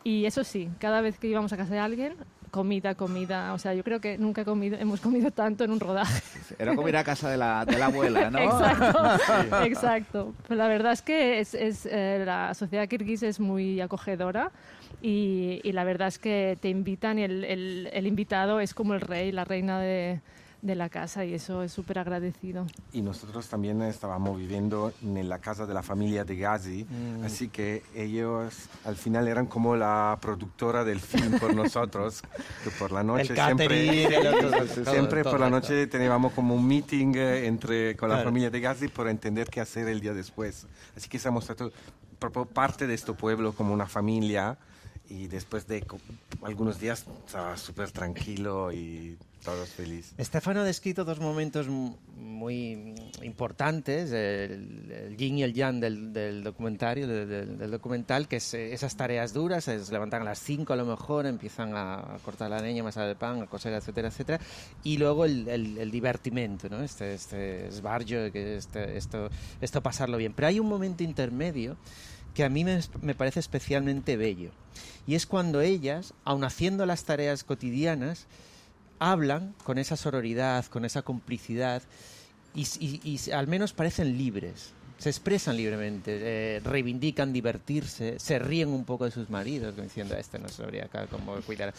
Y eso sí, cada vez que íbamos a casa de alguien, comida, comida. O sea, yo creo que nunca he comido, hemos comido tanto en un rodaje. Era como ir a casa de la, de la abuela, ¿no? Exacto, exacto. Pero la verdad es que es, es, eh, la sociedad kirguís es muy acogedora y, y la verdad es que te invitan y el, el, el invitado es como el rey, la reina de, de la casa y eso es súper agradecido. Y nosotros también estábamos viviendo en la casa de la familia de Gazi, Mm. así que ellos al final eran como la productora del film por nosotros, que por la noche El catering, siempre, el otro, todo, siempre todo por la esto. noche teníamos como un meeting eh, entre, con la Claro. familia de Gazi por entender qué hacer el día después. Así que somos todo- proprio parte de este pueblo como una familia y después de co- algunos días estaba súper tranquilo y todos felices. Estefano ha descrito dos momentos m- muy importantes, el, el yin y el yang del, del documentario, del, del- del documental, que es eh, esas tareas duras, se levantan a las cinco a lo mejor, empiezan a cortar la leña, amasar el pan, a coser, etcétera, etcétera, y luego el, el, el divertimento, ¿no? Este, este esbarjo, que este, esto, esto pasarlo bien. Pero hay un momento intermedio que a mí me, me parece especialmente bello, y es cuando ellas, aun haciendo las tareas cotidianas, hablan con esa sororidad, con esa complicidad y, y- y al menos parecen libres, se expresan libremente, eh, reivindican divertirse, se ríen un poco de sus maridos, como diciendo, este no sabría acá cómo cuidar.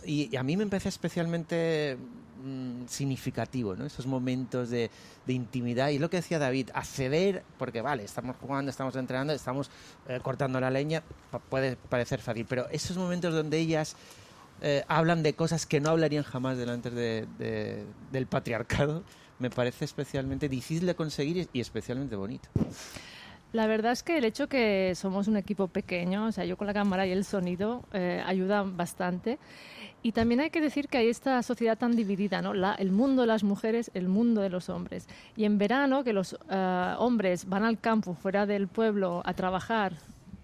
Y, y a mí me parece especialmente mm, significativo, ¿no? Esos momentos de, de intimidad. Y lo que decía David, acceder, porque vale, estamos jugando, estamos entrenando, estamos eh, cortando la leña, pa- puede parecer fácil, pero esos momentos donde ellas eh, hablan de cosas que no hablarían jamás delante de, de- del patriarcado, me parece especialmente difícil de conseguir y especialmente bonito. La verdad es que el hecho que somos un equipo pequeño, o sea, yo con la cámara y el sonido, eh, ayudan bastante. Y también hay que decir que hay esta sociedad tan dividida, ¿no? La, el mundo de las mujeres, el mundo de los hombres. Y en verano, que los eh, hombres van al campo, fuera del pueblo, a trabajar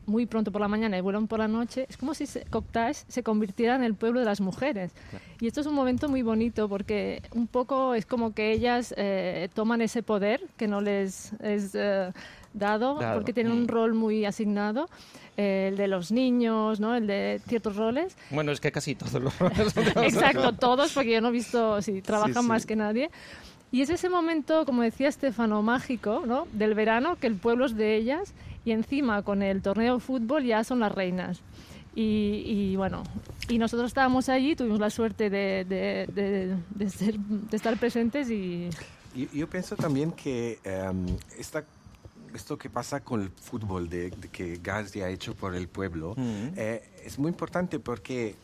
muy pronto por la mañana y vuelan por la noche, es como si Coctaix se convirtiera en el pueblo de las mujeres. Claro. Y esto es un momento muy bonito porque un poco es como que ellas eh, toman ese poder que no les es eh, dado, claro. porque tienen un rol muy asignado, eh, el de los niños, ¿no? El de ciertos roles. Bueno, es que casi todos los roles. Exacto, todos, porque yo no he visto, sí, trabajan sí, sí. más que nadie. Y es ese momento, como decía Estefano, mágico, ¿no? Del verano, que el pueblo es de ellas, y encima con el torneo de fútbol ya son las reinas. Y, y bueno, y nosotros estábamos allí, tuvimos la suerte de, de, de, de, ser, de estar presentes y... Yo, yo pienso también que um, esta esto que pasa con el fútbol de, de que Gazi ha hecho por el pueblo mm. eh, es muy importante porque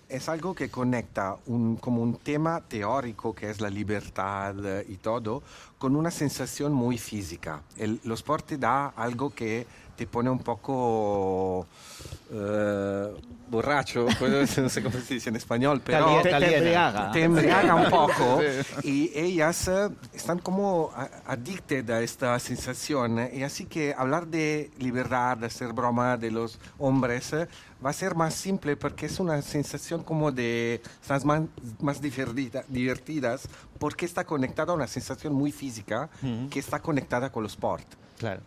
es algo que conecta un, como un tema teórico que es la libertad y todo con una sensación muy física. El, los sport te da algo que te pone un poco uh, borracho, pues, no sé cómo se dice en español, pero te, te embriaga. Te embriaga un poco y ellas uh, están como addicted a esta sensación y así que hablar de libertad, de hacer broma de los hombres uh, va a ser más simple porque es una sensación como de estás más, más divertida, divertidas porque está conectada a una sensación muy física mm-hmm. que está conectada con los sport. Claro.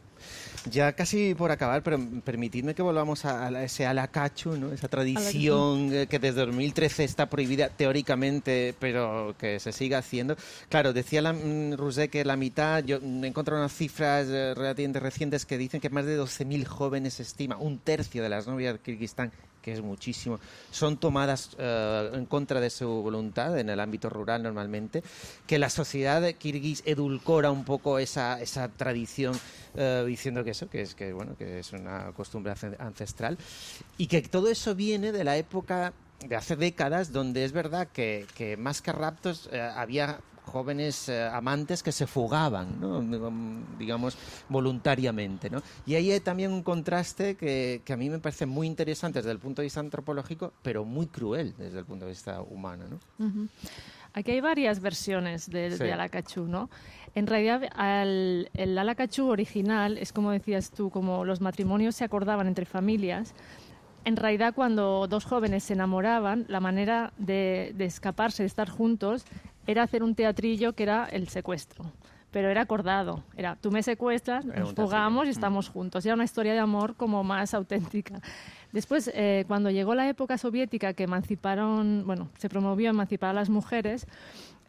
Ya casi por acabar, pero permitidme que volvamos a, a ese alacachu, ¿no? Esa tradición que desde dos mil trece está prohibida teóricamente, pero que se sigue haciendo. Claro, decía la, Roser que la mitad, yo he encontrado unas cifras relativamente recientes que dicen que más de doce mil jóvenes, se estima, un tercio de las novias de Kirguistán, que es muchísimo, son tomadas uh, en contra de su voluntad en el ámbito rural normalmente, que la sociedad kirguís edulcora un poco esa, esa tradición uh, diciendo que eso, que es, que, bueno, que es una costumbre ancestral y que todo eso viene de la época de hace décadas donde es verdad que, que más que raptos uh, había jóvenes eh, amantes que se fugaban, ¿no? digamos, voluntariamente, ¿no? Y ahí hay también un contraste que, que a mí me parece muy interesante desde el punto de vista antropológico, pero muy cruel desde el punto de vista humano, ¿no? Uh-huh. Aquí hay varias versiones de, sí. de Alacachú, ¿no? En realidad, al, el Alacachú original es como decías tú, como los matrimonios se acordaban entre familias. En realidad, cuando dos jóvenes se enamoraban, la manera de, de escaparse, de estar juntos, era hacer un teatrillo que era el secuestro. Pero era acordado. Era, tú me secuestras, nos fugamos y estamos juntos. Era una historia de amor como más auténtica. Después, eh, cuando llegó la época soviética que emanciparon, bueno, se promovió emancipar a las mujeres,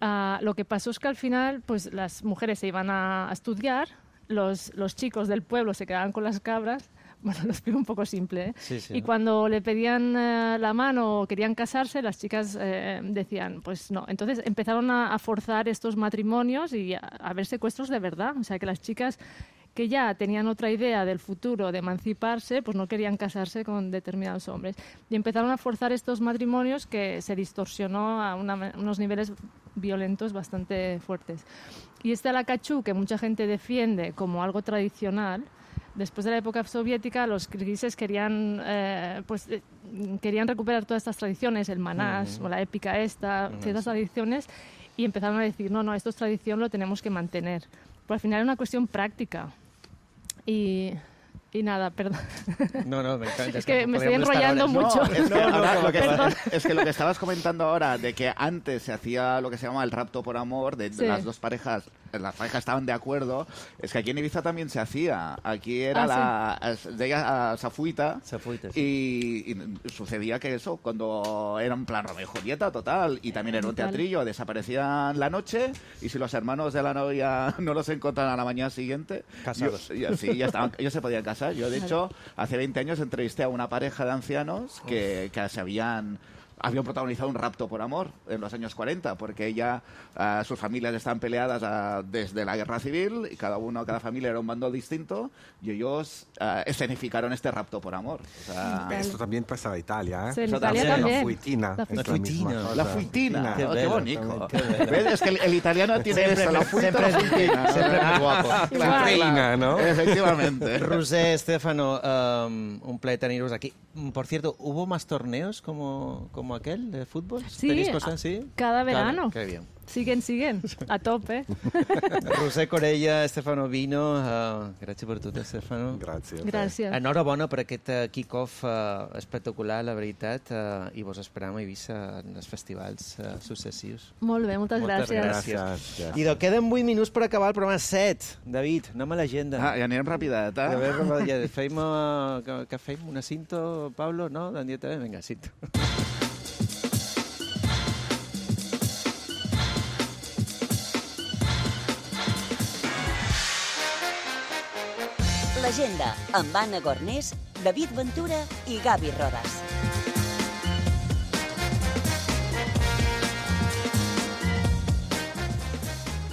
uh, lo que pasó es que al final, pues las mujeres se iban a, a estudiar, los, los chicos del pueblo se quedaban con las cabras. Bueno, lo explico un poco simple, ¿eh? Sí, sí, y ¿no? Cuando le pedían eh, la mano o querían casarse, las chicas eh, decían, pues no. Entonces empezaron a, a forzar estos matrimonios y a, a ver secuestros de verdad. O sea, que las chicas que ya tenían otra idea del futuro, de emanciparse, pues no querían casarse con determinados hombres. Y empezaron a forzar estos matrimonios que se distorsionó a una, unos niveles violentos bastante fuertes. Y este Alacachú, que mucha gente defiende como algo tradicional, después de la época soviética, los kirguises querían, eh, pues, eh, querían recuperar todas estas tradiciones, el manás, uh-huh. o la épica esta, uh-huh. ciertas tradiciones, y empezaron a decir, no, no, esto es tradición, lo tenemos que mantener. Pero al final era una cuestión práctica. Y... Y nada, perdón. No, no, me encanta. Es que me estoy enrollando mucho. No, es, que ahora, lo que, es que lo que estabas comentando ahora, de que antes se hacía lo que se llama el rapto por amor, de, sí. de las dos parejas, las parejas estaban de acuerdo, es que aquí en Ibiza también se hacía. Aquí era ah, la... Sí. Deia a Safuita, Safuita sí. y, y sucedía que eso, cuando era un plan Romeo y Julieta total, y también era un teatrillo, desaparecían la noche, y si los hermanos de la novia no los encontraban a la mañana siguiente... Casados. Yo, sí, ya estaban, ellos se podían casar. Yo, de hecho, hace veinte años entrevisté a una pareja de ancianos que, que se habían... habían protagonizado un rapto por amor en los años cuarenta, porque ella, uh, sus familias estaban peleadas uh, desde la guerra civil, y cada uno, cada familia era un bando distinto, y ellos uh, escenificaron este rapto por amor. O sea, esto también pasa en Italia, ¿eh? Sí, en Italia también. La fuitina. La fuitina. La fuitina. La fuitina. Qué, oh, qué bonito. Qué ¿Ves? Es que el, el italiano tiene siempre, eso, la fuita, siempre, la fuitina. Siempre muy guapo. La reina, ¿no? Efectivamente. Roser, Estefano, um, un placer teneros aquí. Por cierto, ¿hubo más torneos como, como aquel de fútbol? Sí, cosas así? cada verano. Cada, qué bien. Siguen, siguen. A tope. Roser Corella, Stefano Vino, uh, gràcies per tot, Stefano. Gràcies. Gràcies. Enhorabona per aquest uh, kick-off uh, espectacular, la veritat, uh, i vos esperam a Eivissa en els festivals uh, successius. Molt bé, moltes, moltes gràcies. gràcies. gràcies. I queden vuit minuts per acabar el programa set. David, anem a l'agenda. Ah, ja anirem rapidet, eh? A veure, ja feim, uh, que, que feim una cinto, Pablo, no? Vinga, cinto. L'agenda amb Anna Gornés, David Ventura i Gavi Rodas.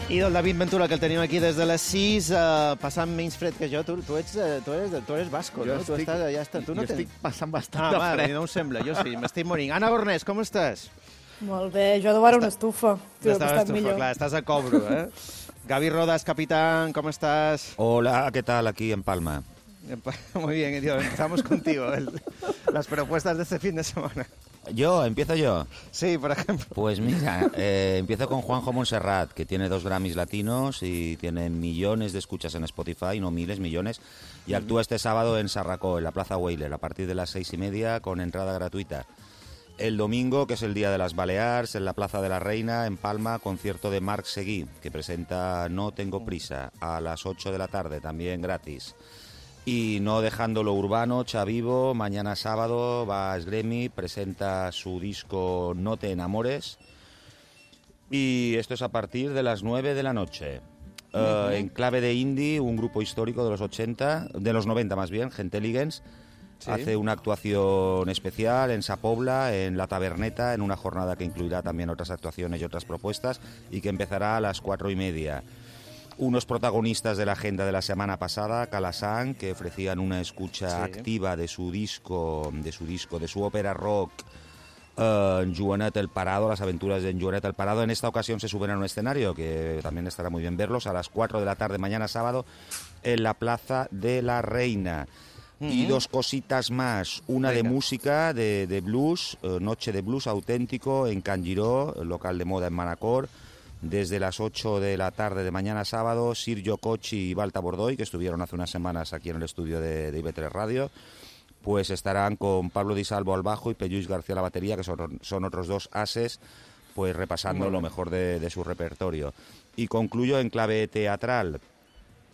I del David Ventura, que el tenim aquí des de les sis, uh, passant menys fred que jo. Tu, tu, ets, uh, tu, eres, tu eres basco, jo no? Estic, tu estàs, ja està. Tu no jo tens... estic passant bastant ah, de vale, fred. no ho sembla, jo sí, m'estic morint. Anna Gornés, com estàs? Molt bé, jo de veure una estufa. Tu, estàs, estat estufa, millor. clar, estàs a cobro, eh? Gavi Rodas, capitán, ¿cómo estás? Hola, ¿qué tal aquí en Palma? Muy bien, tío, empezamos contigo. El, las propuestas de este fin de semana. ¿Yo? ¿Empiezo yo? Sí, por ejemplo. Pues mira, eh, empiezo con Juanjo Montserrat, que tiene dos Grammys latinos y tiene millones de escuchas en Spotify, no miles, millones, y actúa este sábado en Sarracó, en la Plaza Weyler, a partir de las seis y media, con entrada gratuita. El domingo, que es el Día de las Balears, en la Plaza de la Reina, en Palma, concierto de Marc Seguí, que presenta No Tengo Prisa, a las ocho de la tarde, también gratis. Y no dejando lo urbano, Chavivo, mañana sábado va a Esgremi, presenta su disco No te enamores. Y esto es a partir de las nueve de la noche. Uh, uh-huh. En clave de indie, un grupo histórico de los ochenta, de los noventa más bien, Genteliggens, sí. Hace una actuación especial en Sa Pobla, en La Taberneta, en una jornada que incluirá también otras actuaciones y otras propuestas y que empezará a las cuatro y media. Unos protagonistas de la agenda de la semana pasada, Calasan, que ofrecían una escucha sí. activa de su disco, de su disco, de su ópera rock, uh, Joanet el Parado, las aventuras de Joanet el Parado. En esta ocasión se suben a un escenario, que también estará muy bien verlos, a las cuatro de la tarde, mañana sábado, en la Plaza de la Reina. Uh-huh. Y dos cositas más, una Venga. de música, de, de blues, uh, Noche de Blues auténtico en Can Giró, local de moda en Manacor. Desde las ocho de la tarde de mañana sábado, Sir Cochi y Balta Bordoy, que estuvieron hace unas semanas aquí en el estudio de, de I B tres Radio, pues estarán con Pablo Di Salvo al bajo y Pelluis García a la batería, que son, son otros dos ases, pues repasando lo mejor de, de su repertorio. Y concluyo en clave teatral.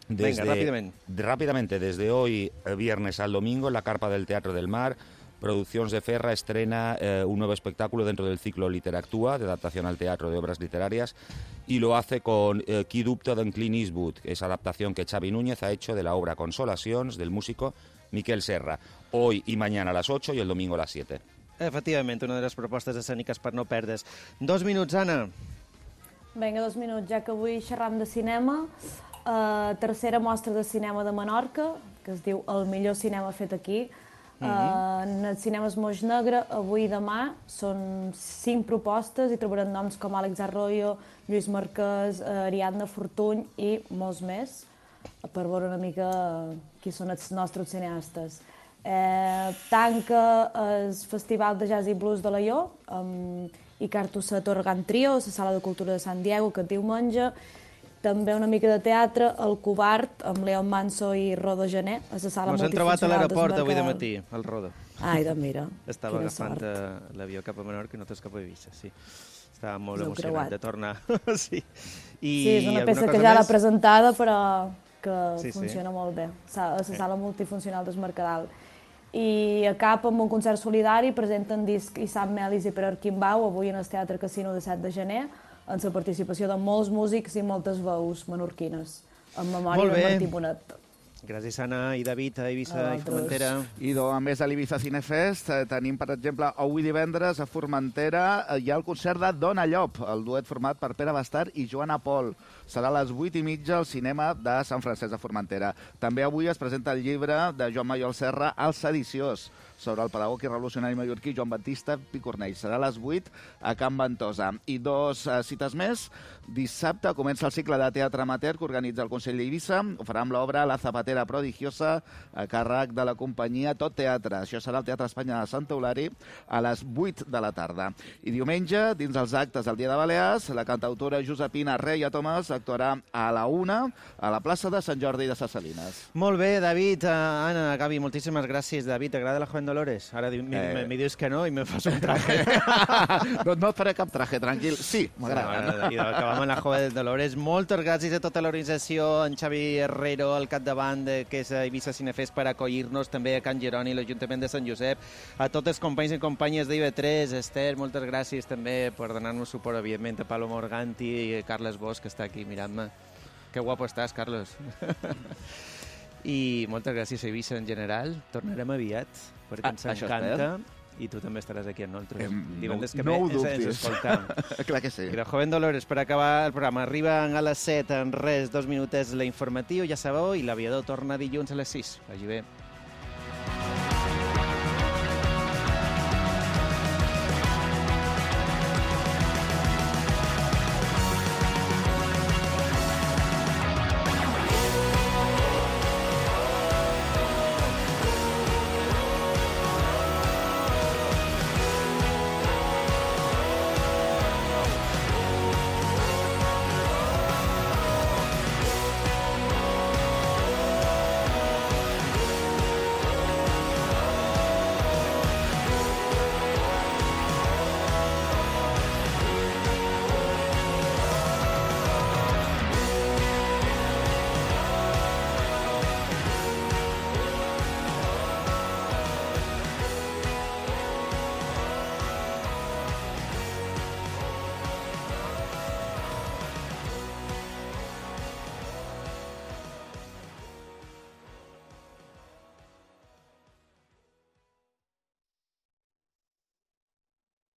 Desde, Venga, rápidamente. Rápidamente, desde hoy, viernes al domingo, en la Carpa del Teatro del Mar, Produccions de Ferra estrena eh, un nuevo espectáculo dentro del ciclo Literactua, de adaptación al teatro de obras literarias, y lo hace con eh, Qui dubta d'en Clint Eastwood, esa adaptación que Xavi Núñez ha hecho de la obra Consolacions del músico Miquel Serra. Hoy y mañana a las ocho y el domingo a las siete. Efectivament, una de les propostes escèniques per no perdre's. Dos minuts, Anna. Vinga, dos minuts, ja que avui xerram de cinema. Uh, tercera mostra de cinema de Menorca, que es diu El millor cinema fet aquí. Uh, en el Cinemes Moix Negre, avui i demà, són cinc propostes i trobarem noms com Àlex Arroyo, Lluís Marquès, uh, Ariadna Fortuny i molts més, per veure una mica qui són els nostres cineastes. Eh, tanca el Festival de Jazz i Blues de Laió, amb Icarto Set Organ Trio, a la Sala de Cultura de Sant Diego, que diumenge. També una mica de teatre, El Covard, amb Leon Manso i Rodo Gené, a la sala multifuncional Ens hem trobat a l'aeroport avui de matí, el Rodo. Ai, doncs mira, Estava quina agafant sort. l'avió cap a Menorca i nosaltres cap a Eivissa, sí. Estava molt Us heu emocionat creuat. de tornar. sí. I Sí, és una alguna peça cosa que ja l'ha més? presentada, però que Sí, sí. funciona molt bé, a la sala multifuncional del Mercadal. I a cap amb un concert solidari presenten disc Issam Melis i Pere Arquimbau, avui en el Teatre Casino de set de gener, amb la participació de molts músics i moltes veus menorquines, en memòria Molt de bé. Martí Bonet. Gràcies, Anna i David, a Eivissa A i vosaltres. Formentera. I a més de l'Ibiza Cinefest, eh, tenim, per exemple, avui divendres a Formentera eh, hi ha el concert de Dona Llop, el duet format per Pere Bastard i Joana Pol. Serà a les vuit i mitja al cinema de Sant Francesc de Formentera. També avui es presenta el llibre de Joan Mayol Serra, El sediciós, sobre el pedagog i revolucionari mallorquí Joan Baptista Picornell. Serà a les vuit a Can Ventosa. I dos uh, cites més. Dissabte comença el cicle de teatre amateur que organitza el Consell d'Eivissa. Ho farà amb l'obra La Zapatera Prodigiosa a càrrec de la companyia Tot Teatre. Això serà al Teatre Espanya de Sant Eulari a les vuit de la tarda. I diumenge, dins els actes del Dia de Balears, la cantautora Josepina Reia Tomàs actuarà a la una a la plaça de Sant Jordi de Ses Salines. Molt bé, David, uh, Anna, Gavi, moltíssimes gràcies. David, t'agrada la Joven Dolores? Ara eh... me, me dius que no i me fas un traje. No, no et faré cap traje, tranquil. Sí, m'agrada. I acabam amb la Joven Dolores. Moltes gràcies a tota l'organització, en Xavi Herrero al capdavant, que és a Eivissa Cinefest, per acollir-nos, també a Can Jeroni, l'Ajuntament de Sant Josep, a tots els companys i companyes d'I V tres, Esther, moltes gràcies també per donar-nos suport, evidentment, a Palo Morganti i Carles Bosch, que està aquí mirant-me. Que guapo estàs, Carlos. I moltes gràcies a Eivissa en general. Tornarem aviat, perquè ens ah, encanta. I tu també estaràs aquí amb nosaltres. Divendres que no ho ens, dubtis. ens escoltam. Clar que sí. I la Joven Dolores, per acabar el programa, arriben a les set, en res, dos minuts, l'informatiu, ja sabeu, i l'aviador torna dilluns a les sis. Vagi bé.